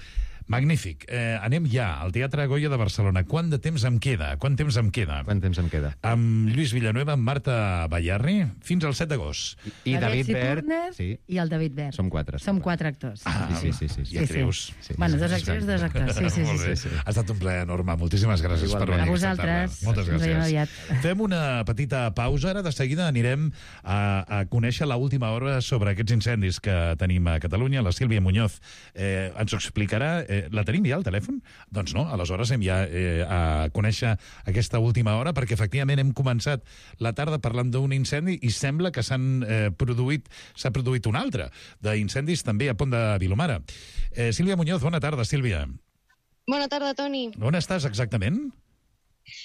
magnífic. Eh, anem ja al Teatre Goya de Barcelona. Quant de temps em queda? Quant temps em queda? Quant temps em queda? Amb Lluís Villanueva, amb Marta Bayarri, fins al set d'agost. I, I David Bert... Sí. I el David Bert. Som quatre. Som quatre actors. Ah, sí, sí, sí. sí. I actrius. Sí, sí. Bueno, dos actrius, dos actors. Sí, sí, sí, sí, sí. Ha estat un plaer enorme. Moltíssimes gràcies per venir. A vosaltres. Moltes gràcies. Fem una petita pausa. Ara de seguida anirem a, a conèixer l'última hora sobre aquests incendis que tenim a Catalunya. La Sílvia Muñoz eh, ens ho explicarà. Eh, la tenim ja al telèfon? Doncs no, aleshores hem ja eh, a conèixer aquesta última hora, perquè efectivament hem començat la tarda parlant d'un incendi i sembla que s'han eh, produït, s'ha produït un altre d'incendis també a Pont de Vilomara. Eh, Sílvia Muñoz, bona tarda, Sílvia. Bona tarda, Toni. On estàs exactament?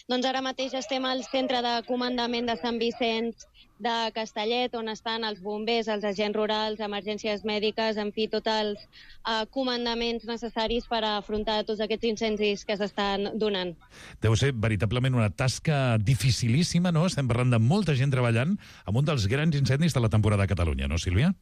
Doncs ara mateix estem al centre de comandament de Sant Vicenç de Castellet, on estan els bombers, els agents rurals, emergències mèdiques, en fi, tots els uh, comandaments necessaris per afrontar tots aquests incendis que s'estan donant. Deu ser veritablement una tasca dificilíssima, no? Estem parlant de molta gent treballant amb un dels grans incendis de la temporada a Catalunya, no, Sílvia?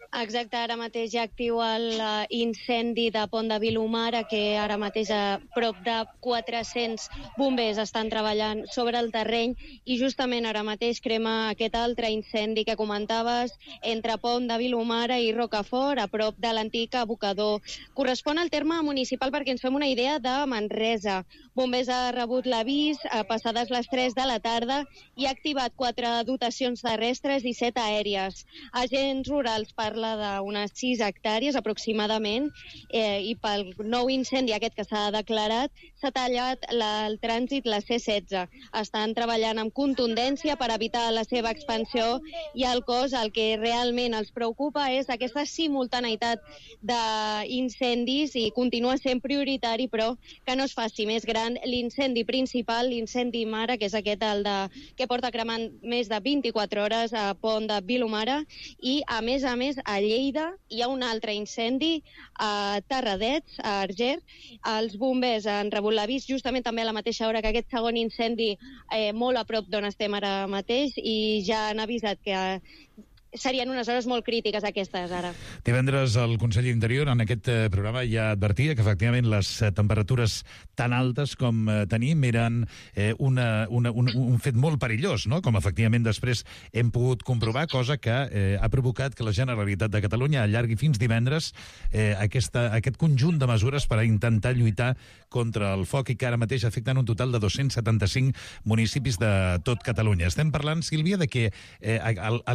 Exacte, ara mateix ja actiu l'incendi de Pont de Vilomara, que ara mateix a prop de quatre-cents bombers estan treballant sobre el terreny i justament ara mateix crema aquest altre incendi que comentaves entre Pont de Vilomara i Rocafort, a prop de l'antic abocador. Correspon al terme municipal perquè ens fem una idea de Manresa. Bombers ha rebut l'avís a passades les tres de la tarda i ha activat quatre dotacions terrestres i set aèries. Agents rurals parlen d'unes sis hectàrees aproximadament eh, i pel nou incendi aquest que s'ha declarat s'ha tallat la, el trànsit la C setze. Estan treballant amb contundència per evitar la seva expansió i el cos el que realment els preocupa és aquesta simultaneïtat d'incendis i continua sent prioritari, però que no es faci més gran l'incendi principal, l'incendi mare, que és aquest el de, que porta cremant més de vint-i-quatre hores a Pont de Vilomara, i a més a més a Lleida hi ha un altre incendi a Terradets, a Arger. Els bombers han rebut l'avís justament també a la mateixa hora que aquest segon incendi eh, molt a prop d'on estem ara mateix i ja han avisat que serien unes hores molt crítiques aquestes ara. Divendres el conseller d'Interior en aquest eh, programa ja advertia que efectivament les eh, temperatures tan altes com eh, tenim eren eh, una, una, un, un fet molt perillós, no? Com efectivament després hem pogut comprovar, cosa que eh, ha provocat que la Generalitat de Catalunya allargui fins divendres eh, aquesta, aquest conjunt de mesures per a intentar lluitar contra el foc i que ara mateix afecten un total de dos-cents setanta-cinc municipis de tot Catalunya. Estem parlant, Sílvia, de que eh,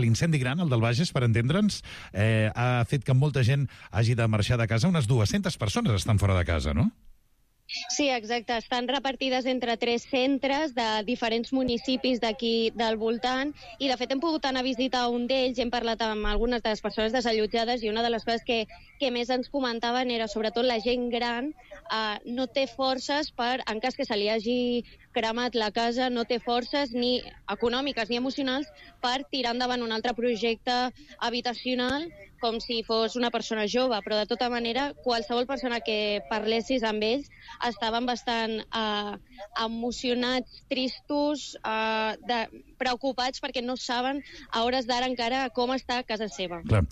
l'incendi gran, el del Bages, per entendre'ns, eh, ha fet que molta gent hagi de marxar de casa. Unes dues-centes persones estan fora de casa, no? Sí, exacte. Estan repartides entre tres centres de diferents municipis d'aquí del voltant i, de fet, hem pogut anar a visitar un d'ells, hem parlat amb algunes de les persones desallotjades i una de les coses que, que més ens comentaven era, sobretot, la gent gran eh, no té forces per, en cas que se li hagi cremat la casa, no té forces ni econòmiques ni emocionals per tirar endavant un altre projecte habitacional com si fos una persona jove, però de tota manera qualsevol persona que parlessis amb ells estaven bastant eh, emocionats, tristos, eh, de, preocupats perquè no saben a hores d'ara encara com està a casa seva. Clar,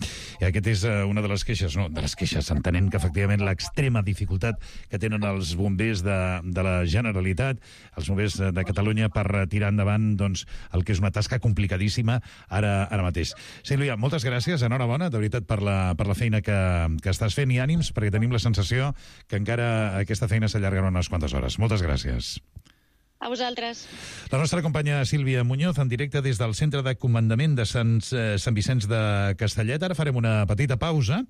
i aquest és uh, una de les queixes, no, de les queixes, entenent que efectivament l'extrema dificultat que tenen els bombers de, de la Generalitat, els bombers de Catalunya per tirar endavant doncs, el que és una tasca complicadíssima ara, ara mateix. Sílvia, moltes gràcies, enhorabona, de veritat, per la, per la feina que, que estàs fent i ànims, perquè tenim la sensació que encara aquesta feina s'allargarà unes quantes hores. Moltes gràcies. A vosaltres. La nostra companya Sílvia Muñoz, en directe des del Centre de Comandament de Sant, eh, Sant Vicenç de Castellet. Ara farem una petita pausa,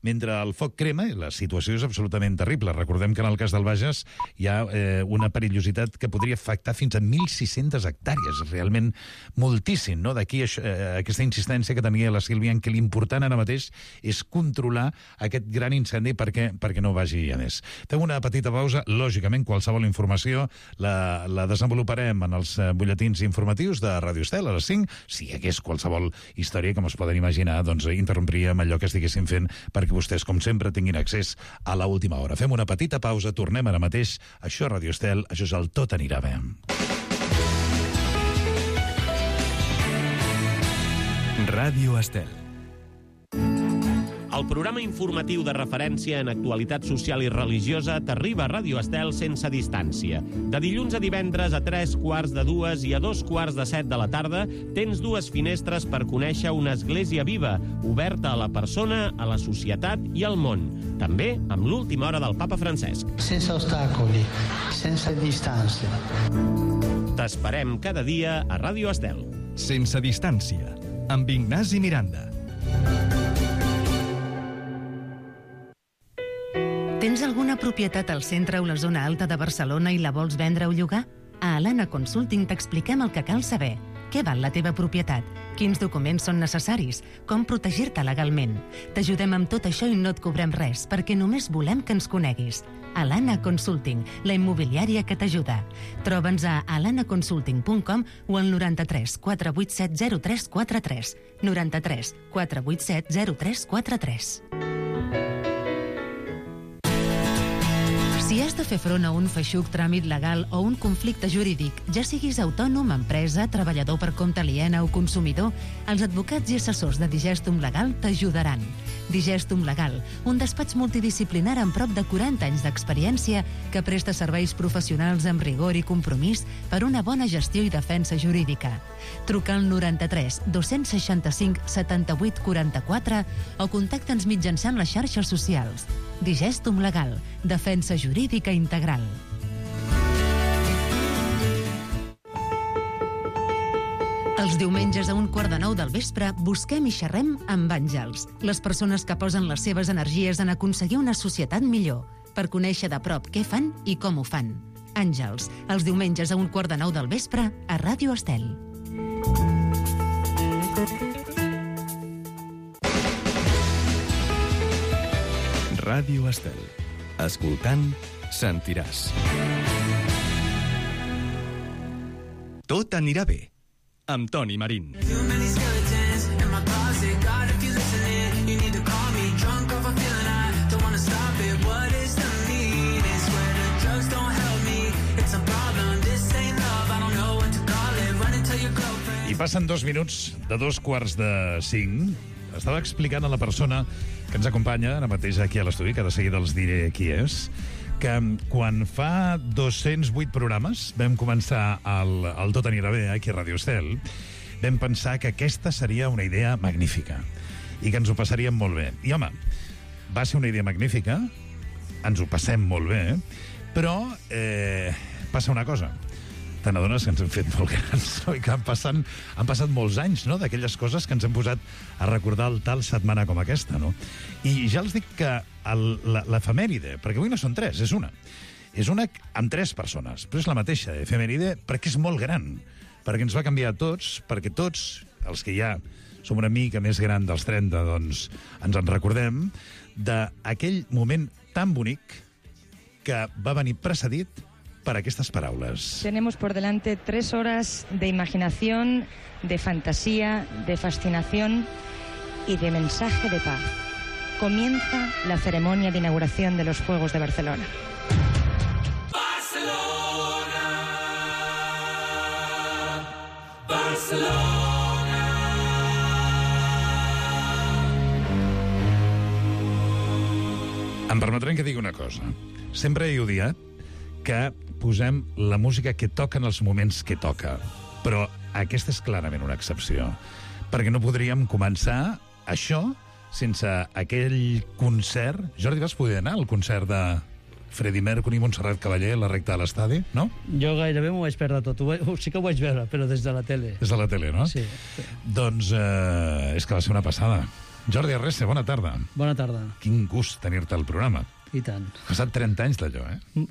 mentre el foc crema, la situació és absolutament terrible. Recordem que en el cas del Bages hi ha eh, una perillositat que podria afectar fins a mil sis-centes hectàrees, realment moltíssim, no? D'aquí eh, aquesta insistència que tenia la Sílvia en que l'important ara mateix és controlar aquest gran incendi perquè, perquè no vagi a més. Fem una petita pausa, lògicament qualsevol informació la, la desenvoluparem en els butlletins informatius de Ràdio Estel a les cinc. Si hi hagués qualsevol història, com es poden imaginar, doncs interrompríem allò que estiguéssim fent perquè vostès, com sempre, tinguin accés a l'última hora. Fem una petita pausa, tornem ara mateix. Això és Ràdio Estel, això és el Tot anirà bé. Ràdio Estel. El programa informatiu de referència en actualitat social i religiosa t'arriba a Ràdio Estel sense distància. De dilluns a divendres a tres quarts de dues i a dos quarts de set de la tarda tens dues finestres per conèixer una església viva, oberta a la persona, a la societat i al món. També amb l'última hora del papa Francesc. Sense ostacoli, sense distància. T'esperem cada dia a Ràdio Estel. Sense distància, amb Ignasi Miranda. Tens alguna propietat al centre o la zona alta de Barcelona i la vols vendre o llogar? A Alana Consulting t'expliquem el que cal saber. Què val la teva propietat? Quins documents són necessaris? Com protegir-te legalment? T'ajudem amb tot això i no et cobrem res, perquè només volem que ens coneguis. Alana Consulting, la immobiliària que t'ajuda. Troba'ns a alana consulting punt com o al noranta-tres quatre vuit set zero tres quatre tres. noranta-tres quatre vuit set zero tres quatre tres. Si has de fer front a un feixuc tràmit legal o un conflicte jurídic, ja siguis autònom, empresa, treballador per compte aliena o consumidor, els advocats i assessors de Digestum Legal t'ajudaran. Digestum Legal, un despatx multidisciplinar amb prop de quaranta anys d'experiència que presta serveis professionals amb rigor i compromís per una bona gestió i defensa jurídica. Truca al noranta-tres dos seixanta-cinc setanta-vuit quaranta-quatre o contacta'ns mitjançant les xarxes socials. Digestum Legal, defensa jurídica integral. Els diumenges a un quart de nou del vespre busquem i xerrem amb àngels, les persones que posen les seves energies en aconseguir una societat millor, per conèixer de prop què fan i com ho fan. Àngels, els diumenges a un quart de nou del vespre a Ràdio Estel. Ràdio Estel. Escoltant, sentiràs. Tot anirà bé, amb Toni Marín. I passen dos minuts de dos quarts de cinc. Estava explicant a la persona que ens acompanya ara mateix aquí a l'estudi, que de seguida els diré qui és, que quan fa dos-cents vuit programes vam començar el, el Tot anirà bé aquí a Ràdio Estel, vam pensar que aquesta seria una idea magnífica i que ens ho passaríem molt bé. I, home, va ser una idea magnífica, ens ho passem molt bé, però eh, passa una cosa. Te n'adones que ens hem fet molt grans, no? I que han, passant, han passat molts anys, no?, d'aquelles coses que ens hem posat a recordar el tal setmana com aquesta, no? I ja els dic que l'efemèride, perquè avui no són tres, és una, és una amb tres persones, però és la mateixa efemèride perquè és molt gran, perquè ens va canviar a tots, perquè tots, els que ja som una mica més gran dels trenta, doncs ens en recordem d'aquell moment tan bonic que va venir precedit para aquestes paraules. Tenemos por delante tres horas de imaginación, de fantasía, de fascinación y de mensaje de paz. Comienza la ceremonia de inauguración de los Juegos de Barcelona. Barcelona, Barcelona. Em permetrem que digui una cosa. Sempre he odiat que posem la música que toca en els moments que toca. Però aquesta és clarament una excepció. Perquè no podríem començar això sense aquell concert... Jordi, vas poder anar al concert de... Freddie Mercury, Montserrat Caballé, la recta de l'estadi, no? Jo gairebé m'ho vaig perdre tot. Ho, vaig- sí que ho vaig veure, però des de la tele. Des de la tele, no? Sí. Doncs eh, és que va ser una passada. Jordi Arrese, bona tarda. Bona tarda. Quin gust tenir-te al programa. I tant. Ha passat trenta anys d'allò, eh?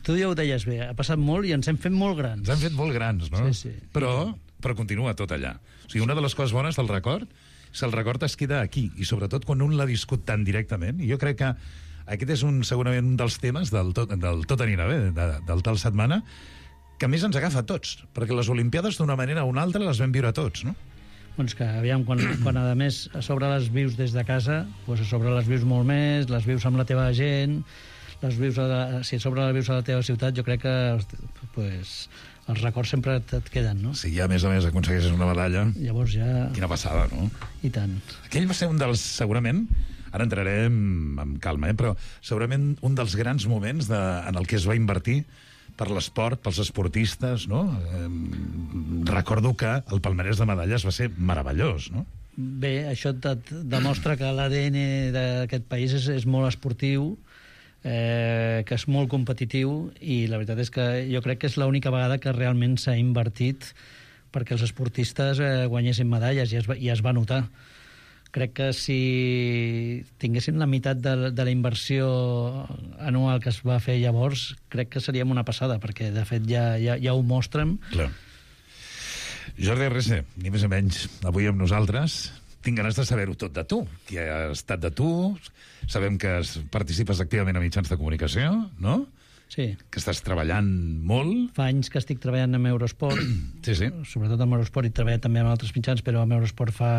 Tu ja ho deies bé, ha passat molt i ens hem fet molt grans. Ens hem fet molt grans, no? Sí, sí. Però, però continua tot allà. O sigui, una de les coses bones del record és que el record es queda aquí, i sobretot quan un l'ha viscut tan directament. I jo crec que aquest és un, segurament un dels temes del Tot, del tot anirà bé, de, del tal setmana, que més ens agafa a tots, perquè les Olimpiades d'una manera o una altra les vam viure tots, no? Doncs que, aviam, quan, quan a més a sobre les vius des de casa, doncs a sobre les vius molt més, les vius amb la teva gent, les vius a la, si a sobre les vius a la teva ciutat, jo crec que pues, els records sempre et, et queden, no? Si ja, a més a més, aconsegueixes una medalla... Llavors ja... Quina passada, no? I tant. Aquell va ser un dels, segurament, ara entrarem amb calma, eh? Però segurament un dels grans moments de, en el que es va invertir per l'esport, pels esportistes, no? Eh, recordo que el palmarès de medalles va ser meravellós, no? Bé, això et, et demostra que l'A D N d'aquest país és, és molt esportiu, eh, que és molt competitiu, i la veritat és que jo crec que és l'única vegada que realment s'ha invertit perquè els esportistes eh, guanyessin medalles, i es, va, i es va notar. Crec que si tinguessin la meitat de, de la inversió anual que es va fer llavors, crec que seríem una passada, perquè de fet ja, ja, ja ho mostren. Clar. Jordi Arrese, ni més ni menys, avui amb nosaltres. Tinc ganes de saber-ho tot de tu. Qui ha estat de tu? Sabem que es, participes activament a mitjans de comunicació, no? Sí. Que estàs treballant molt. Fa anys que estic treballant amb Eurosport. Sí, sí. Sobretot amb Eurosport, i treballat també amb altres mitjans, però amb Eurosport fa...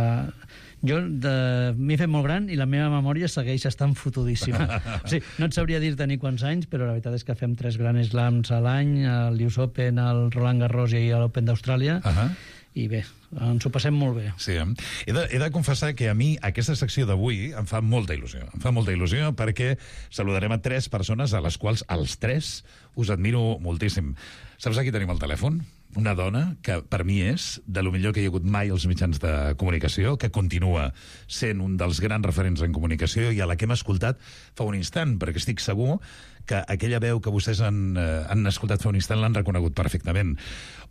Jo de... m'he fet molt gran i la meva memòria segueix estant fotudíssima. O sigui, no et sabria dir-te ni quants anys, però la veritat és que fem tres Grand Slams a l'any, el U S Open, el Roland Garros i l'Open d'Austràlia. Uh -huh. I bé, ens ho passem molt bé. Sí, eh? he, de, he de confessar que a mi aquesta secció d'avui em fa molta il·lusió. Em fa molta il·lusió perquè saludarem a tres persones a les quals els tres us admiro moltíssim. Saps aquí tenim el telèfon? Una dona que per mi és de lo millor que hi ha hagut mai als mitjans de comunicació, que continua sent un dels grans referents en comunicació i a la que hem escoltat fa un instant, perquè estic segur que aquella veu que vostès han, eh, han escoltat fa un instant l'han reconegut perfectament.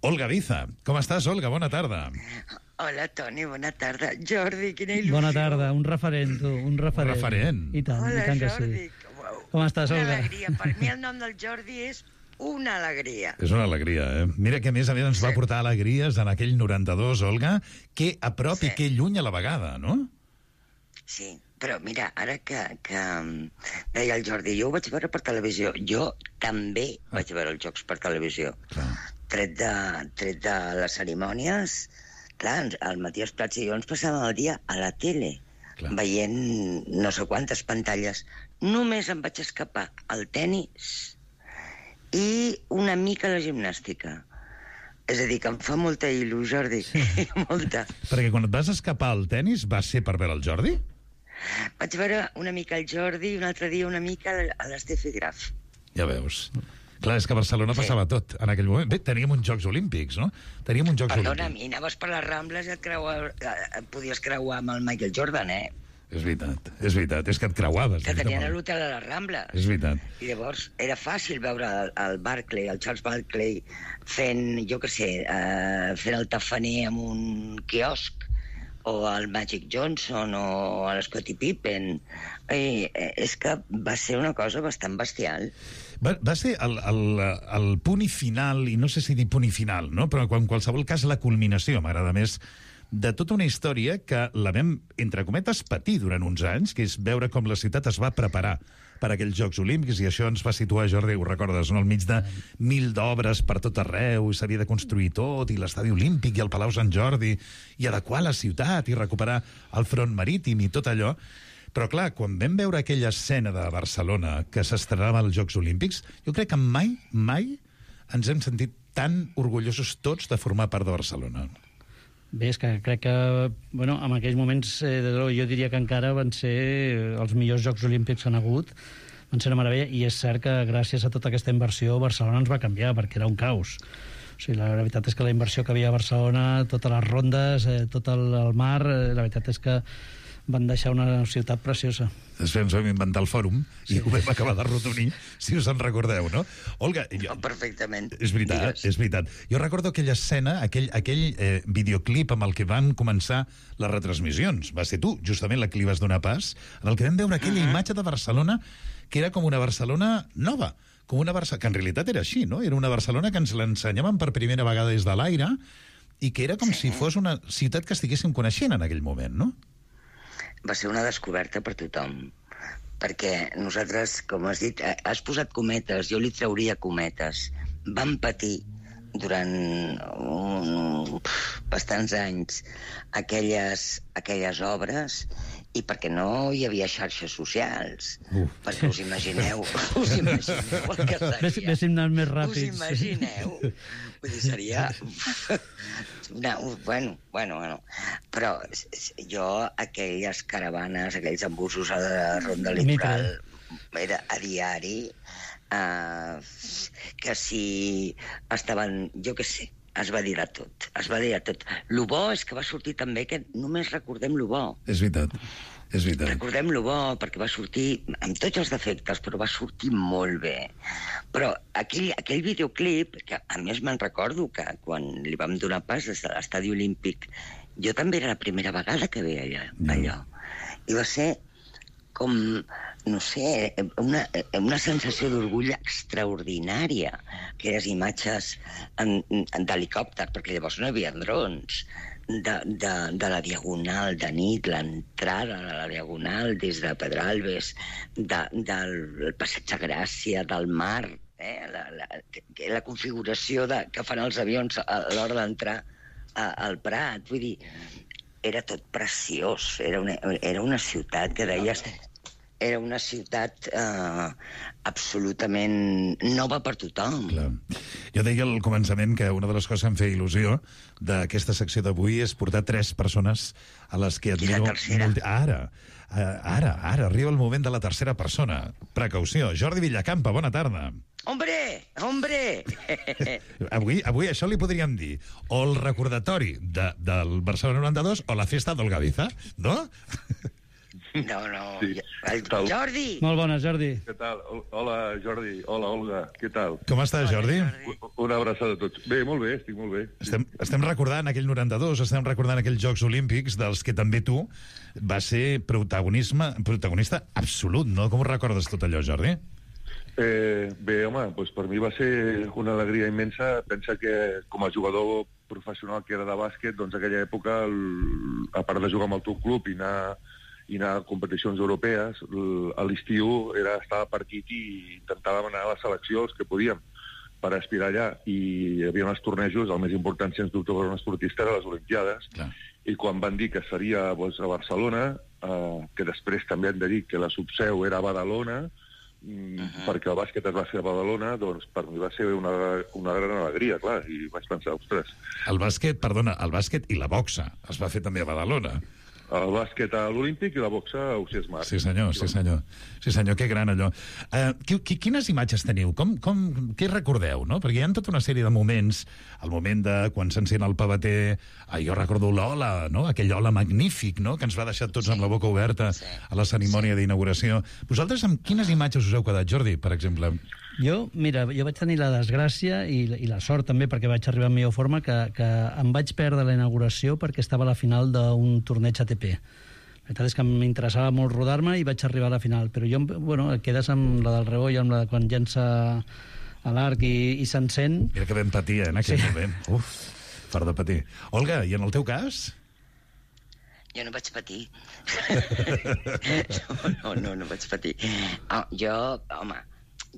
Olga Biza, com estàs, Olga? Bona tarda. Hola, Toni, bona tarda. Jordi, quina il·lusió. Bona tarda, un referent, tu, un referent. Un referent. I tant, Hola, i tant que Jordi. sí. Com estàs, Una Olga? alegria. Per mi el nom del Jordi és una alegria. És una alegria, eh? Mira que, a més a més, ens va portar alegries en aquell noranta-dos, Olga, que a prop sí. i que lluny a la vegada, no? Sí, però mira, ara que, que deia el Jordi, jo ho vaig veure per televisió. Jo també ah. vaig veure els jocs per televisió. Clar. Tret de, tret de les cerimònies, clar, el Matías Prats i jo ens passàvem el dia a la tele, clar, veient no sé quantes pantalles. Només em vaig escapar al tennis i una mica la gimnàstica. És a dir, que em fa molta il·lu, Jordi, sí. molta. Perquè quan et vas escapar al tennis, va ser per veure el Jordi? Vaig veure una mica el Jordi i un altre dia una mica a l'Estefi Graf. Ja veus. Clar, és que a Barcelona sí. passava tot en aquell moment. Bé, teníem uns Jocs Olímpics, no? Teníem uns Jocs Perdona, Olímpics. mi, anaves per les Rambles i et, creua, et podies creuar amb el Michael Jordan, eh? És veritat, és veritat. És que et creuaves. Que tenien a l'hotel a les Rambles. És veritat. I llavors era fàcil veure el, el Barclay, el Charles Barclay, fent, jo què sé, uh, fent el tafaner amb un quiosc, o el Magic Johnson, o l'Scottie Pippen. I, eh, és que va ser una cosa bastant bestial. Va, va ser el, el, el punt i final, i no sé si dir punt i final, no? Però en qualsevol cas la culminació, m'agrada més, de tota una història que la vam, entre cometes, patir durant uns anys, que és veure com la ciutat es va preparar per a aquells Jocs Olímpics, i això ens va situar, Jordi, ho recordes, no? Al mig de mil d'obres per tot arreu, i s'havia de construir tot, i l'estadi olímpic, i el Palau Sant Jordi, i adequar la ciutat, i recuperar el front marítim, i tot allò. Però, clar, quan vam veure aquella escena de Barcelona que s'estrenava als Jocs Olímpics, jo crec que mai, mai ens hem sentit tan orgullosos tots de formar part de Barcelona. Bé, és que crec que, bueno, en aquells moments, eh, jo diria que encara van ser els millors Jocs Olímpics que han hagut, van ser una meravella, i és cert que gràcies a tota aquesta inversió Barcelona ens va canviar, perquè era un caos. O sigui, la veritat és que la inversió que havia a Barcelona, totes les rondes, eh, tot el, el mar, eh, la veritat és que van deixar una ciutat preciosa. Després ens vam inventar el fòrum sí. i ho vam acabar de rotonir, si us en recordeu, no? Olga... Jo... Perfectament. És veritat, Digues. és veritat. Jo recordo aquella escena, aquell, aquell eh, videoclip amb el que van començar les retransmissions. Va ser tu, justament, la que li vas donar pas, en el que vam veure aquella uh-huh. imatge de Barcelona que era com una Barcelona nova, com una Barcelona... que en realitat era així, no? Era una Barcelona que ens l'ensenyaven per primera vegada des de l'aire i que era com sí. si fos una ciutat que estiguéssim coneixent en aquell moment, no? Va ser una descoberta per tothom, perquè nosaltres, com has dit, has posat cometes, jo li trauria cometes. Vam patir durant um, bastants anys aquelles, aquelles obres i perquè no hi havia xarxes socials. Uf. Perquè us imagineu, us imagineu el que seria. Véssim anant més ràpids. Us imagineu? Vull dir, seria... No, bueno, bueno, bueno. Però jo, aquelles caravanes, aquells embussos a la ronda litoral, era a diari, uh, que si estaven, jo què sé, es va dir a tot, es va dir a tot. Lo bo és que va sortir també que només recordem lo bo. És veritat, és veritat. Recordem lo bo, perquè va sortir amb tots els defectes, però va sortir molt bé. Però aquell, aquell videoclip, que a més me'n recordo que quan li vam donar pas des de l'estadi olímpic, jo també era la primera vegada que veia allò. Mm. allò. I va ser com, no sé, una, una sensació d'orgull extraordinària, aquelles imatges d'helicòpter, perquè llavors no hi havia drons, de, de, de la Diagonal de nit, l'entrada de la Diagonal des de Pedralbes, de, del Passeig de Gràcia, del mar, eh? la, la, la configuració de, que fan els avions a l'hora d'entrar al Prat. Vull dir, era tot preciós, era una, era una ciutat que deies... Era una ciutat eh, absolutament nova per tothom. Clar. Jo deia al començament que una de les coses que em feia il·lusió d'aquesta secció d'avui és portar tres persones a les que admiro... I la tercera. Molt... Ara, ara, ara, arriba el moment de la tercera persona. Precaució. Jordi Villacampa, bona tarda. Hombre, hombre! avui, avui això li podríem dir o el recordatori de, del Barcelona noranta-dos o la festa del Gaviza, no? No, no. Sí. El Jordi! Molt bona, Jordi. Què tal? Hola, Jordi. Hola, Olga. Què tal? Com estàs, Jordi? Jordi? Una abraçada a tots. Bé, molt bé, estic molt bé. Estem, estem recordant aquell noranta-dos, estem recordant aquells Jocs Olímpics dels que també tu vas ser protagonisme, protagonista absolut, no? Com ho recordes tot allò, Jordi? Eh, bé, home, doncs per mi va ser una alegria immensa. Pensa que com a jugador professional que era de bàsquet, doncs aquella època, el, a part de jugar amb el teu club i anar... i anar a competicions europees, a l'estiu era estar a partit i intentàvem anar a la selecció els que podíem per aspirar allà. I hi havia uns tornejos, el més important, sens dubte, per un esportista era les Olimpiades. Clar. I quan van dir que seria doncs, a Barcelona, eh, que després també han de dir que la subseu era a Badalona, mm, uh-huh. perquè el bàsquet es va fer a Badalona, doncs per mi va ser una, una gran alegria, clar, i vaig pensar, ostres... El bàsquet, perdona, el bàsquet i la boxa es va fer també a Badalona. El bàsquet a l'Olímpic i la boxa a Ausiàs Mar. Sí, senyor, sí, senyor. Sí, senyor, que gran allò. Uh, quines imatges teniu? Com, com, què recordeu, no? Perquè hi ha tota una sèrie de moments, el moment de quan s'encén el pavater, ah, jo recordo l'ola, no? Aquell ola magnífic, no? Que ens va deixar tots sí. amb la boca oberta sí. a la cerimònia sí. d'inauguració. Vosaltres amb quines imatges us heu quedat, Jordi, per exemple? Jo, mira, jo vaig tenir la desgràcia i, i la sort també, perquè vaig arribar en millor forma, que, que em vaig perdre la inauguració perquè estava a la final d'un torneig A T P. La veritat és que m'interessava molt rodar-me i vaig arribar a la final, però jo, bueno, quedes amb la del Rebo i amb la de quan llença a l'arc i, i s'encén... Mira que vam patir, eh, en aquell sí. moment. Uf, fort de patir. Olga, i en el teu cas? Jo no vaig patir. no, no, no vaig patir. Oh, jo, home...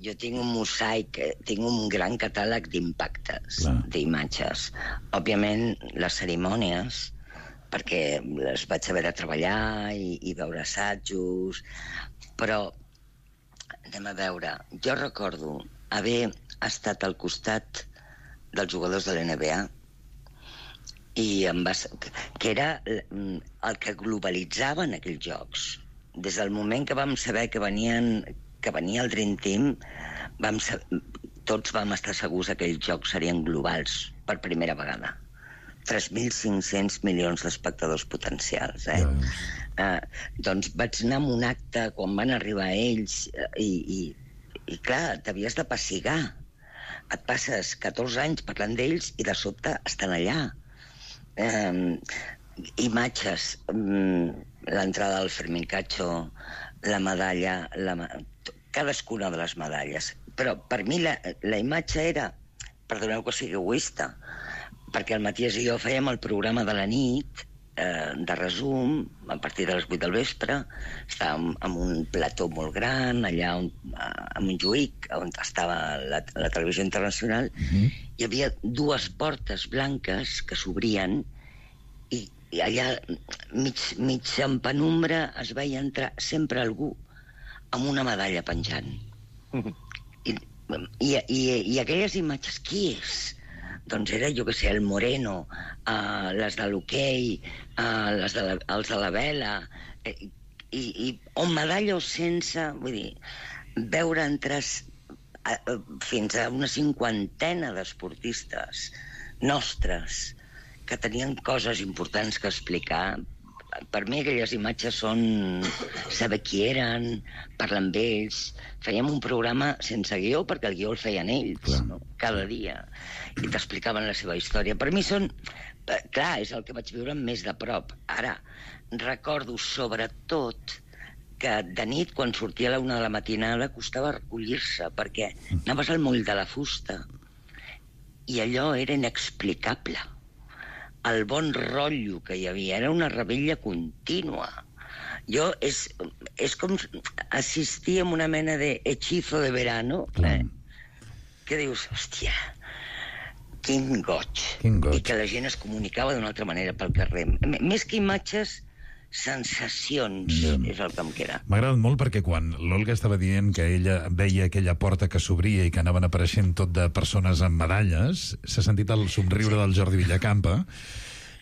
Jo tinc un mosaic, tinc un gran catàleg d'impactes, d'imatges. Òbviament, les cerimònies, perquè les vaig haver de treballar i, i veure assajos, però anem a veure. Jo recordo haver estat al costat dels jugadors de l'N B A i em va, que era el que globalitzaven aquells jocs. Des del moment que vam saber que venien... que venia el Dream Team, vam ser, tots vam estar segurs que aquells jocs serien globals per primera vegada. tres mil cinc-cents milions d'espectadors potencials, eh? Eh, doncs vaig anar a un acte quan van arribar ells i, i, i clar, t'havies de pessigar. Et passes catorze anys parlant d'ells i de sobte estan allà. Eh, imatges, l'entrada del Fermín Cacho, la medalla, la, cadascuna de les medalles. Però per mi la, la imatge era, perdoneu que sigui egoista, perquè el Matías i jo fèiem el programa de la nit, eh, de resum, a partir de les vuit del vespre, estàvem en un plató molt gran, allà on, a Montjuïc, on estava la, la televisió internacional, mm-hmm. Hi havia dues portes blanques que s'obrien i, i allà, mig, mig en penumbra, es veia entrar sempre algú amb una medalla penjant. Mm-hmm. I, i, i, I aquelles imatges, qui és? Doncs era, jo què sé, el Moreno, uh, les de l'hoquei, uh, les de la, els de la vela, eh, i, i o medalla o sense, vull dir, veure entrar a, a, fins a una cinquantena d'esportistes nostres que tenien coses importants que explicar. Per mi aquelles imatges són saber qui eren, parlar amb ells. Fèiem un programa sense guió, perquè el guió el feien ells, no? Cada dia, i t'explicaven la seva història. Per mi són... Clar, és el que vaig viure més de prop. Ara, recordo sobretot que de nit, quan sortia a la una de la matinada, costava recollir-se, perquè anaves al moll de la fusta i allò era inexplicable. El bon rotllo que hi havia, era una revetlla contínua. Jo, és, és com assistir a una mena de hechizo de verano, eh? Que dius, hòstia, quin goig. Quin goig. I que la gent es comunicava d'una altra manera pel carrer. M més que imatges, sensacions, yeah. És el que em queda. M'ha agradat molt perquè quan l'Olga estava dient que ella veia aquella porta que s'obria i que anaven apareixent tot de persones amb medalles, s'ha sentit el somriure sí. del Jordi Villacampa,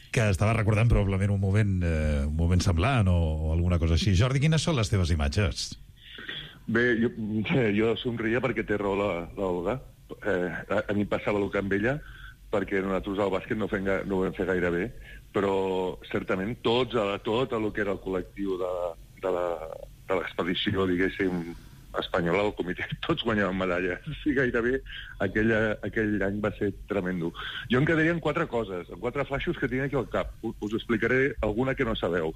que estava recordant probablement un moment, eh, un moment semblant o, o alguna cosa així. Jordi, quines són les teves imatges? Bé, jo, jo somria perquè té raó l'Olga. Eh, a, a mi passava el que amb ella, perquè nosaltres al bàsquet no, fem, no ho vam fer gaire bé, però certament tots, a, tot el que era el col·lectiu de, de l'expedició, diguéssim, espanyola, el comitè, tots guanyaven medalles. Sí, gairebé aquella, aquell any va ser tremendo. Jo em quedaria en quatre coses, en quatre flaixos que tinc aquí al cap. Us, us explicaré alguna que no sabeu.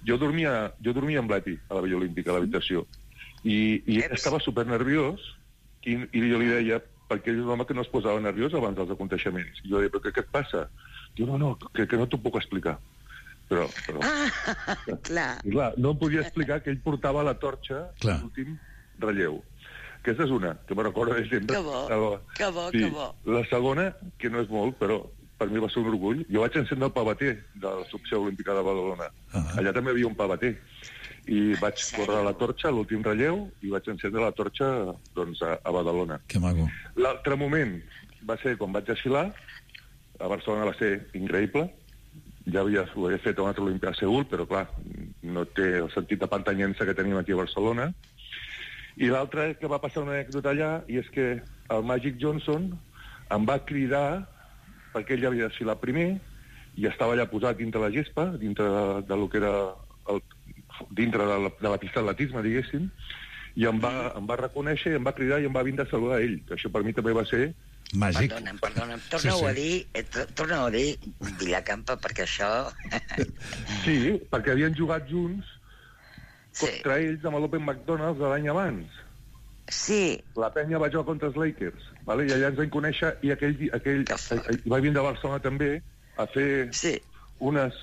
Jo dormia, jo dormia amb l'Eti, a la Villa Olímpica, a l'habitació, i, i estava supernerviós, i, i jo li deia, perquè ell és un home que no es posava nerviós abans dels aconteixements. I jo deia, però què, què et passa? Diu, no, no, que, que no t'ho puc explicar. Però, però... Ah, clar. I clar, no em podia explicar que ell portava la torxa a l'últim relleu. Aquesta és una, que me recorda de sempre. Que bo, que bo, sí. que bo. La segona, que no és molt, però per mi va ser un orgull, jo vaig encendre el pavater de la Subseu Olímpica de Badalona. Uh -huh. Allà també hi havia un pavater. I vaig córrer la torxa a l'últim relleu i vaig encendre la torxa doncs, a, a Badalona. Que maco. L'altre moment va ser quan vaig desfilar. A Barcelona va ser increïble. Ja havia, ho havia fet a una altra Olimpíada a Seül, però clar, no té el sentit de pantanyença que tenim aquí a Barcelona. I l'altre que va passar una anècdota allà, i és que el Magic Johnson em va cridar perquè ell havia desfilat primer i estava allà posat dintre la gespa, dintre de, de lo que era el, dintre de la, de la pista d'atletisme, diguéssim, i em va, em va reconèixer, i em va cridar i em va vindre a saludar a ell, que això per mi també va ser màgic. Perdona'm, perdona'm, torna-ho sí, sí. a dir, eh, torna-ho a dir, Villacampa, perquè això... Sí, perquè havien jugat junts sí. contra ells amb l'Open McDonald's de l'any abans. Sí. La penya va jugar contra els Lakers, vale? I allà ens vam conèixer, i aquell, aquell va vindre a Barcelona també a fer sí. unes...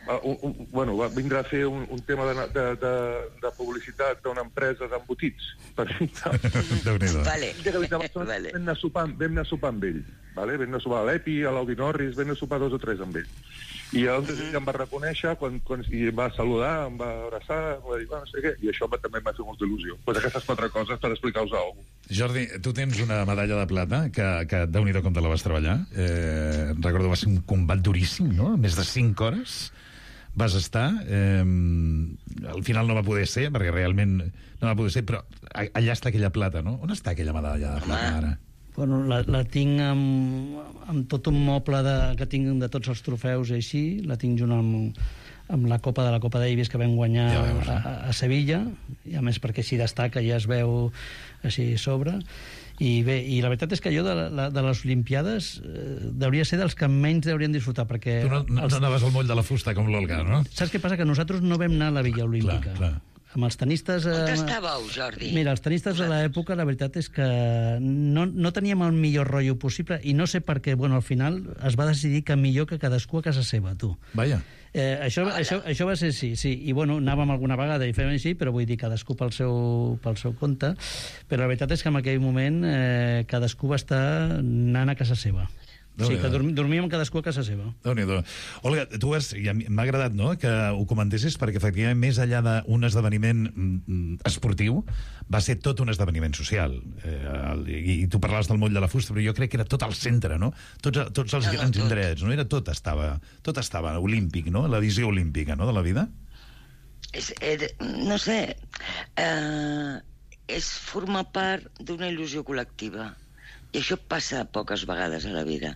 Un, un, bueno, va vindre a fer un, un tema de, de, de, de publicitat d'una empresa d'embotits. Per Déu-n'hi-do. Vale. Vale. Vam anar a sopar, vam anar a sopar amb ell. Vale? Vam anar a sopar a l'Epi, a l'Audi Norris, vam anar a sopar dos o tres amb ell. I llavors ell em va reconèixer quan, quan, i em va saludar, em va abraçar, em va dir, no sé què, i això també em va fer molta il·lusió. Pues aquestes quatre coses per explicar-vos alguna cosa. Jordi, tu tens una medalla de plata que, que Déu-n'hi-do com te la vas treballar. Eh, recordo va ser un combat duríssim, no? Més de cinc hores vas estar. Eh, al final no va poder ser, perquè realment no va poder ser, però allà està aquella plata, no? On està aquella medalla de plata ara? Bueno, la, la tinc amb, amb tot un moble de, que tinc de tots els trofeus i així, la tinc junt amb, amb la Copa de la Copa Davis que vam guanyar ja veus, eh? a, a Sevilla, i a més perquè així destaca, ja es veu així sobre. I bé, i la veritat és que jo de, la, de les Olimpiades eh, hauria ser dels que menys haurien disfrutar, perquè... Tu no, no, els... no anaves al moll de la fusta com l'Olga, no? Saps què passa? Que nosaltres no vam anar a la Villa Olímpica. Clar, clar. Amb els tenistes... On estàveu, Jordi? Mira, els tenistes de l'època, la veritat és que no, no teníem el millor rotllo possible, i no sé per què, bueno, al final es va decidir que millor que cadascú a casa seva, tu. Vaja. Eh, això, això, això va ser sí, sí. I bueno, anàvem alguna vegada i fèiem així, però vull dir, cadascú pel seu, pel seu compte. Però la veritat és que en aquell moment eh, cadascú va estar anant a casa seva. O sigui, que dorm, dormíem cadascú a casa seva. Déu-n'hi-do. Olga, tu has, ja m'ha agradat, no?, que ho comentessis, perquè efectivament més enllà d'un esdeveniment mm, esportiu, va ser tot un esdeveniment social. Eh, el, i, I tu parlaves del moll de la fusta, però jo crec que era tot al centre, no? Tots, tots els no, grans no, indrets, no? Era tot estava, tot estava olímpic, no? La visió olímpica, no?, de la vida. És, és, no sé, eh, és formar part d'una il·lusió col·lectiva. I això passa poques vegades a la vida.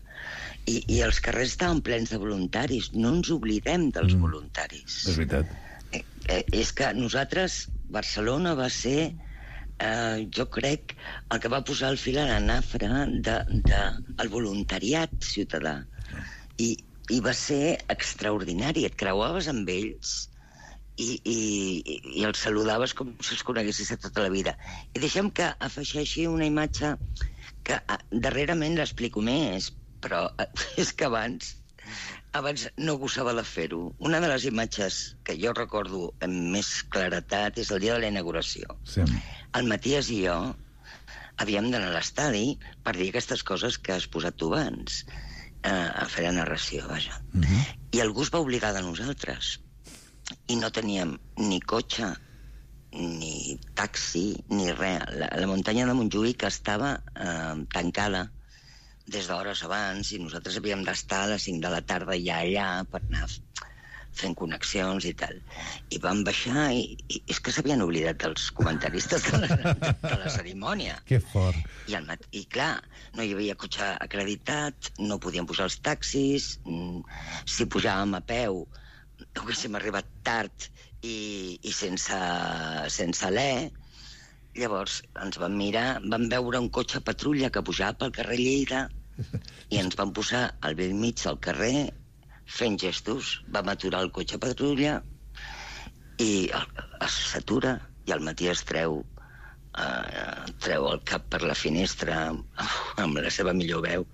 I, i els carrers estaven plens de voluntaris. No ens oblidem dels mm. voluntaris. És veritat. Eh, eh, és que nosaltres, Barcelona va ser, eh, jo crec, el que va posar el fil a la nafra de, de el voluntariat ciutadà. I, i va ser extraordinari. Et creuaves amb ells i, i, i els saludaves com si els coneguessis de tota la vida. I deixem que afegeixi una imatge que darrerament l'explico més, però és que abans abans no gosava de fer-ho. Una de les imatges que jo recordo amb més claretat és el dia de la inauguració. Sí. El Matías i jo havíem d'anar a l'estadi per dir aquestes coses que has posat tu abans, eh, a fer la narració, vaja. Uh-huh. I algú es va obligar de nosaltres. I no teníem ni cotxe, ni taxi, ni res. La, la muntanya de Montjuïc estava eh, tancada des d'hores abans i nosaltres havíem d'estar a les cinc de la tarda ja allà per anar fent connexions i tal. I vam baixar i, i és que s'havien oblidat dels comentaristes de la, de la cerimònia. Que fort. I, el mat... I clar, no hi havia cotxe acreditat, no podíem posar els taxis, si pujàvem a peu haguéssim arribat tard i, i sense, sense alè. Llavors ens vam mirar, vam veure un cotxe patrulla que pujava pel carrer Lleida i ens vam posar al vell mig del carrer fent gestos. Vam aturar el cotxe patrulla i s'atura i el Matías treu, uh, treu el cap per la finestra amb la seva millor veu.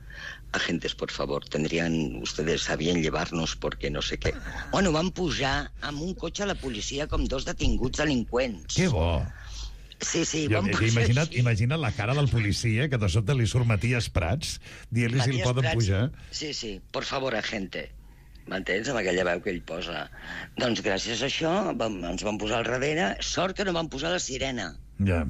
Agentes, por favor, tendrían ustedes a bien llevarnos porque no sé què. Bueno, van pujar amb un cotxe a la policia com dos detinguts delinqüents. Que bo! Sí, sí, jo, van pujar imagina't, així. Imagina't la cara del policia, que de sobte li surt Matías Prats, dient-li si el poden Prats, pujar. Sí, sí, por favor, agente. M'entens? Amb aquella veu que ell posa. Doncs gràcies a això vam, ens van posar al darrere. Sort que no van posar la sirena. Ja.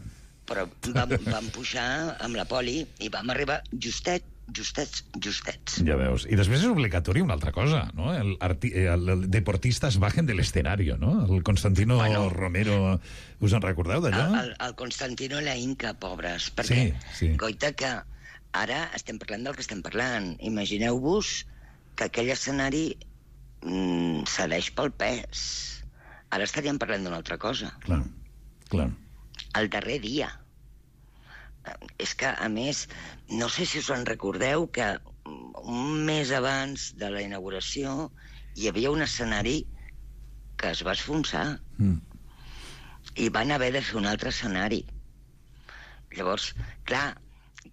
Però vam, vam pujar amb la poli i vam arribar justet justets, justets. Ja veus. I després és obligatori una altra cosa, no? El, arti el, el deportistas bajen del escenario, no? El Constantino bueno, Romero, us en recordeu d'allò? El, el, el Constantino i la Inca, pobres, perquè, sí, sí. Goita, que ara estem parlant del que estem parlant. Imagineu-vos que aquell escenari mm, cedeix pel pes. Ara estaríem parlant d'una altra cosa. Clar, clar. El darrer dia. És que, a més, no sé si us en recordeu que un mes abans de la inauguració hi havia un escenari que es va esfonsar mm. i van haver de fer un altre escenari. Llavors, clar,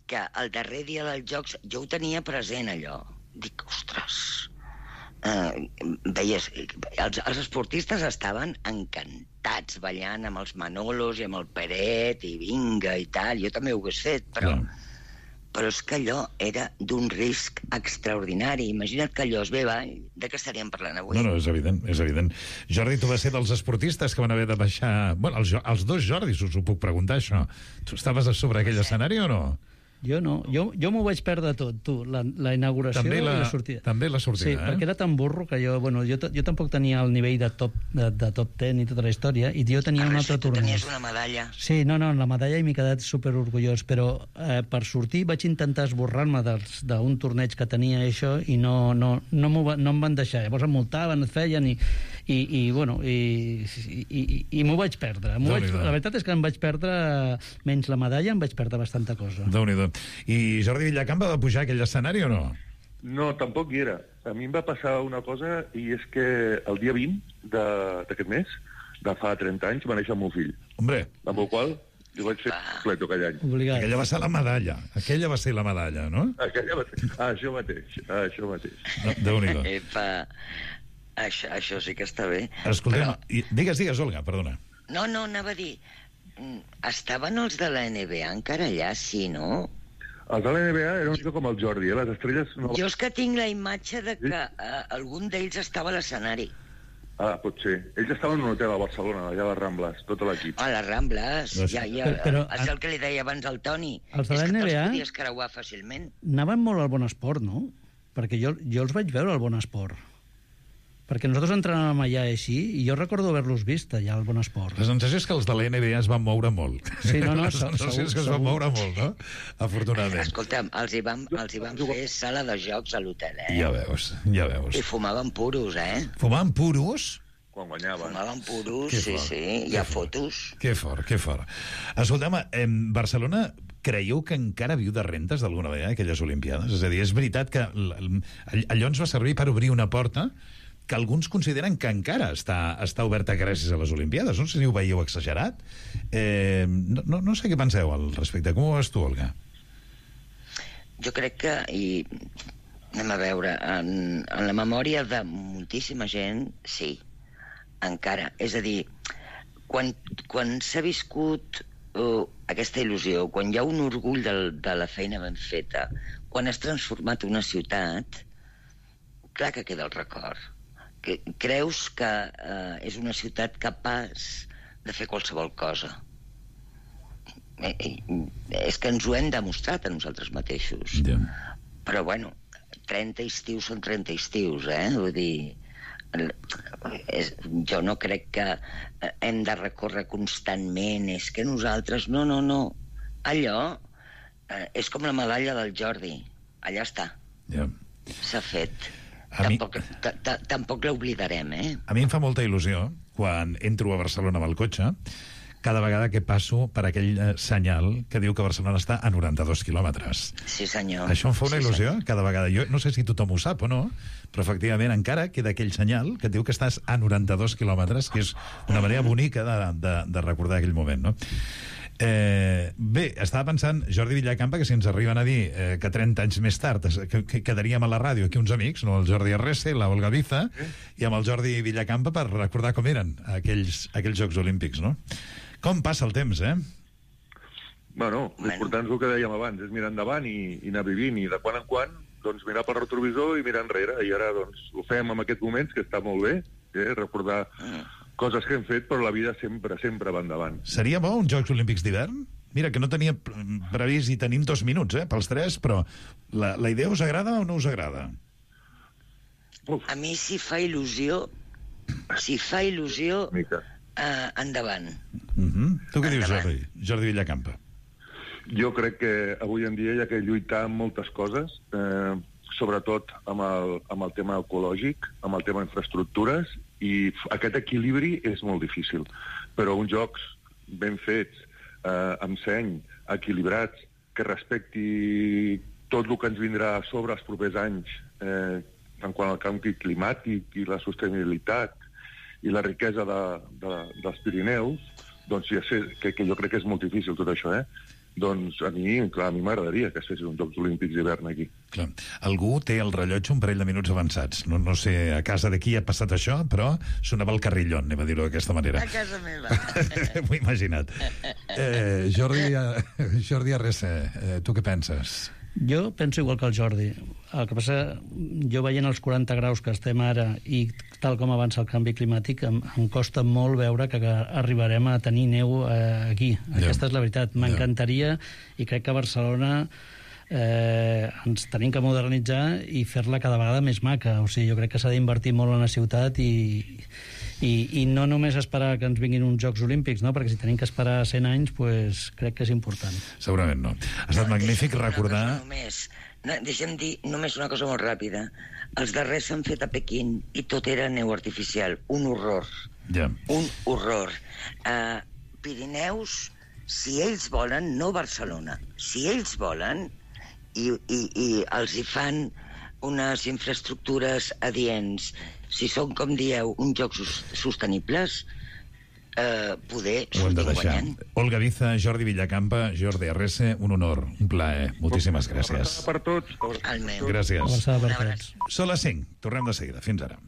que el darrer dia dels Jocs jo ho tenia present, allò. Dic, ostres... Uh, veies, els, els esportistes estaven encantats ballant amb els Manolos i amb el Peret i vinga i tal, jo també ho hagués fet, però, però és que allò era d'un risc extraordinari. Imagina't que allò es ve avall, de què estaríem parlant avui? No, no, és evident, és evident. Jordi, tu vas ser dels esportistes que van haver de baixar... Bueno, els, els dos Jordis us ho puc preguntar, això. Tu estaves a sobre aquell escenari o no? Jo no, jo, jo m'ho vaig perdre tot, tu, la, la inauguració també la, i la sortida. També la sortida, sí, eh? perquè era tan burro que jo, bueno, jo, jo tampoc tenia el nivell de top, de, de top ten i tota la història, i jo tenia un altre Tu torneig. tenies una medalla. Sí, no, no, la medalla i m'he quedat superorgullós, però eh, per sortir vaig intentar esborrar-me d'un torneig que tenia això i no, no, no, va, no em van deixar. Llavors em multaven, et feien i, i, i bueno, i, i, i, i m'ho vaig perdre. Vaig, la veritat és que em vaig perdre, menys la medalla, em vaig perdre bastanta cosa. Déu-n'hi-do. I Jordi Villacampa va pujar a aquell escenari o no? No, tampoc hi era. A mi em va passar una cosa, i és que el dia vint d'aquest mes, de fa trenta anys, va néixer el meu fill. Hombre. Amb el qual jo vaig fer completo aquell any. Obligat. Aquella va ser la medalla. Aquella va ser la medalla, no? Aquella va ser... Ah, això mateix. Ah, això mateix. No, Déu-n'hi-do. Epa, això, això sí que està bé. Escoltem, però... i, digues, digues, Olga, perdona. No, no, anava a dir... Estaven els de la N B A encara allà, sí, no? Els de la N B A era una mica com el Jordi, eh? Les estrelles... No... Jo és que tinc la imatge de que eh, algun d'ells estava a l'escenari. Ah, pot ser. Ells estaven en un hotel a Barcelona, allà a les Rambles, tot l'equip. A les Rambles, No, ja, ja, però- però- és el que li deia abans al Toni. Els de la és que N B A te'ls podies creuar fàcilment. anaven molt al Bon Esport, no? Perquè jo, jo els vaig veure al Bon Esport. Perquè nosaltres entrenàvem allà així, i jo recordo haver-los vist allà al Bon Esport. La sensació és que els de la N B A es van moure molt. Sí, no, no, La sensació és que es van moure molt, no? Afortunadament. Escolta'm, els hi van, els hi van fer sala de jocs a l'hotel, eh? Ja veus, ja veus. I fumaven puros, eh? Fumaven puros? Quan guanyaven. Fumaven puros, Que sí, fort, sí. que Hi ha fort. fotos. Que fort, que fort. Escolta'm, en Barcelona creieu que encara viu de rentes d'alguna manera aquelles Olimpiades? És a dir, és veritat que l- l- allò ens va servir per obrir una porta que alguns consideren que encara està, està oberta gràcies a les Olimpiades. No sé si ho veieu exagerat. Eh, no, no, no sé què penseu al respecte. Com ho veus tu, Olga? Jo crec que, i anem a veure, en, en la memòria de moltíssima gent, sí, encara. És a dir, quan, quan s'ha viscut uh, aquesta il·lusió, quan hi ha un orgull del, de la feina ben feta, quan has transformat una ciutat, clar que queda el record. Que creus que uh, és una ciutat capaç de fer qualsevol cosa. Eh, eh, és que ens ho hem demostrat a nosaltres mateixos. Yeah. Però, bueno, trenta estius són trenta estius, eh? Vull dir, és, jo no crec que hem de recórrer constantment, és que nosaltres... No, no, no. Allò eh, és com la medalla del Jordi. Allà està. Yeah. S'ha fet. A mi- Tampoc, ta- ta- tampoc l'oblidarem, eh? A mi em fa molta il·lusió, quan entro a Barcelona amb el cotxe, cada vegada que passo per aquell eh, senyal que diu que Barcelona està a noranta-dos quilòmetres. Sí, senyor. Això em fa una Sí, il·lusió, senyor. cada vegada. Jo no sé si tothom ho sap o no, però efectivament encara queda aquell senyal que et diu que estàs a noranta-dos quilòmetres, que és una manera bonica de, de, de recordar aquell moment, no? Eh, bé, estava pensant, Jordi Villacampa, que si ens arriben a dir eh, que trenta anys més tard es- que, que quedaríem a la ràdio aquí uns amics, no? El Jordi Arrese, la Olga Biza, i amb el Jordi Villacampa per recordar com eren aquells, aquells Jocs Olímpics, no? Com passa el temps, eh? Bueno, l'important és el que dèiem abans, és mirar endavant i, i anar vivint, i de quan en quan doncs, mirar pel retrovisor i mirar enrere, i ara doncs, ho fem en aquests moments, que està molt bé, eh? recordar coses que hem fet, però la vida sempre, sempre va endavant. Seria bo uns Jocs Olímpics d'hivern? Mira, que no tenia pre- previst i tenim dos minuts, eh, pels tres, però la, la idea us agrada o no us agrada? A mi, si fa il·lusió, si fa il·lusió, eh, endavant. Uh -huh. Tu què dius, Jordi? Jordi Villacampa. Jo crec que avui en dia hi ha que lluitar amb moltes coses, eh, sobretot amb el, amb el tema ecològic, amb el tema infraestructures, i f- aquest equilibri és molt difícil. Però uns jocs ben fets, eh, amb seny, equilibrats, que respecti tot el que ens vindrà a sobre els propers anys, eh, en quant al canvi climàtic i la sostenibilitat i la riquesa de, de, dels Pirineus, doncs ja sé que, que jo crec que és molt difícil tot això, eh? Doncs a mi, clar, a mi m'agradaria que es fessin uns Jocs Olímpics d'hivern aquí. Clar. Algú té el rellotge un parell de minuts avançats. No, no sé a casa de qui ha passat això, però sonava el carrillon, anem a dir-ho d'aquesta manera. A casa meva. M'ho he imaginat. Eh, Jordi, eh, Jordi Arrese, eh, tu què penses? Jo penso igual que el Jordi. El que passa, jo veient els quaranta graus que estem ara i tal com avança el canvi climàtic, em, em costa molt veure que, que arribarem a tenir neu eh, aquí. Ja. Aquesta és la veritat. M'encantaria, i crec que a Barcelona eh, ens tenim que modernitzar i fer-la cada vegada més maca. O sigui, jo crec que s'ha d'invertir molt en la ciutat i, i, i no només esperar que ens vinguin uns Jocs Olímpics, no? Perquè si tenim que esperar cent anys, pues, crec que és important. Segurament no. Ha estat magnífic recordar... Només, no, deixa'm dir només una cosa molt ràpida. Els darrers s'han fet a Pequín i tot era neu artificial. Un horror. Ja. Un horror. Uh, Pirineus, si ells volen, no Barcelona, si ells volen i, i, i els hi fan unes infraestructures adients, si són, com dieu, uns jocs sostenibles, eh, poder sortir guanyant. Olga Diza, Jordi Villacampa, Jordi Arrese, un honor, un plaer. Moltíssimes gràcies. Per tots. El meu. Gràcies. Abraçada per tots. Són les cinc. Tornem de seguida. Fins ara.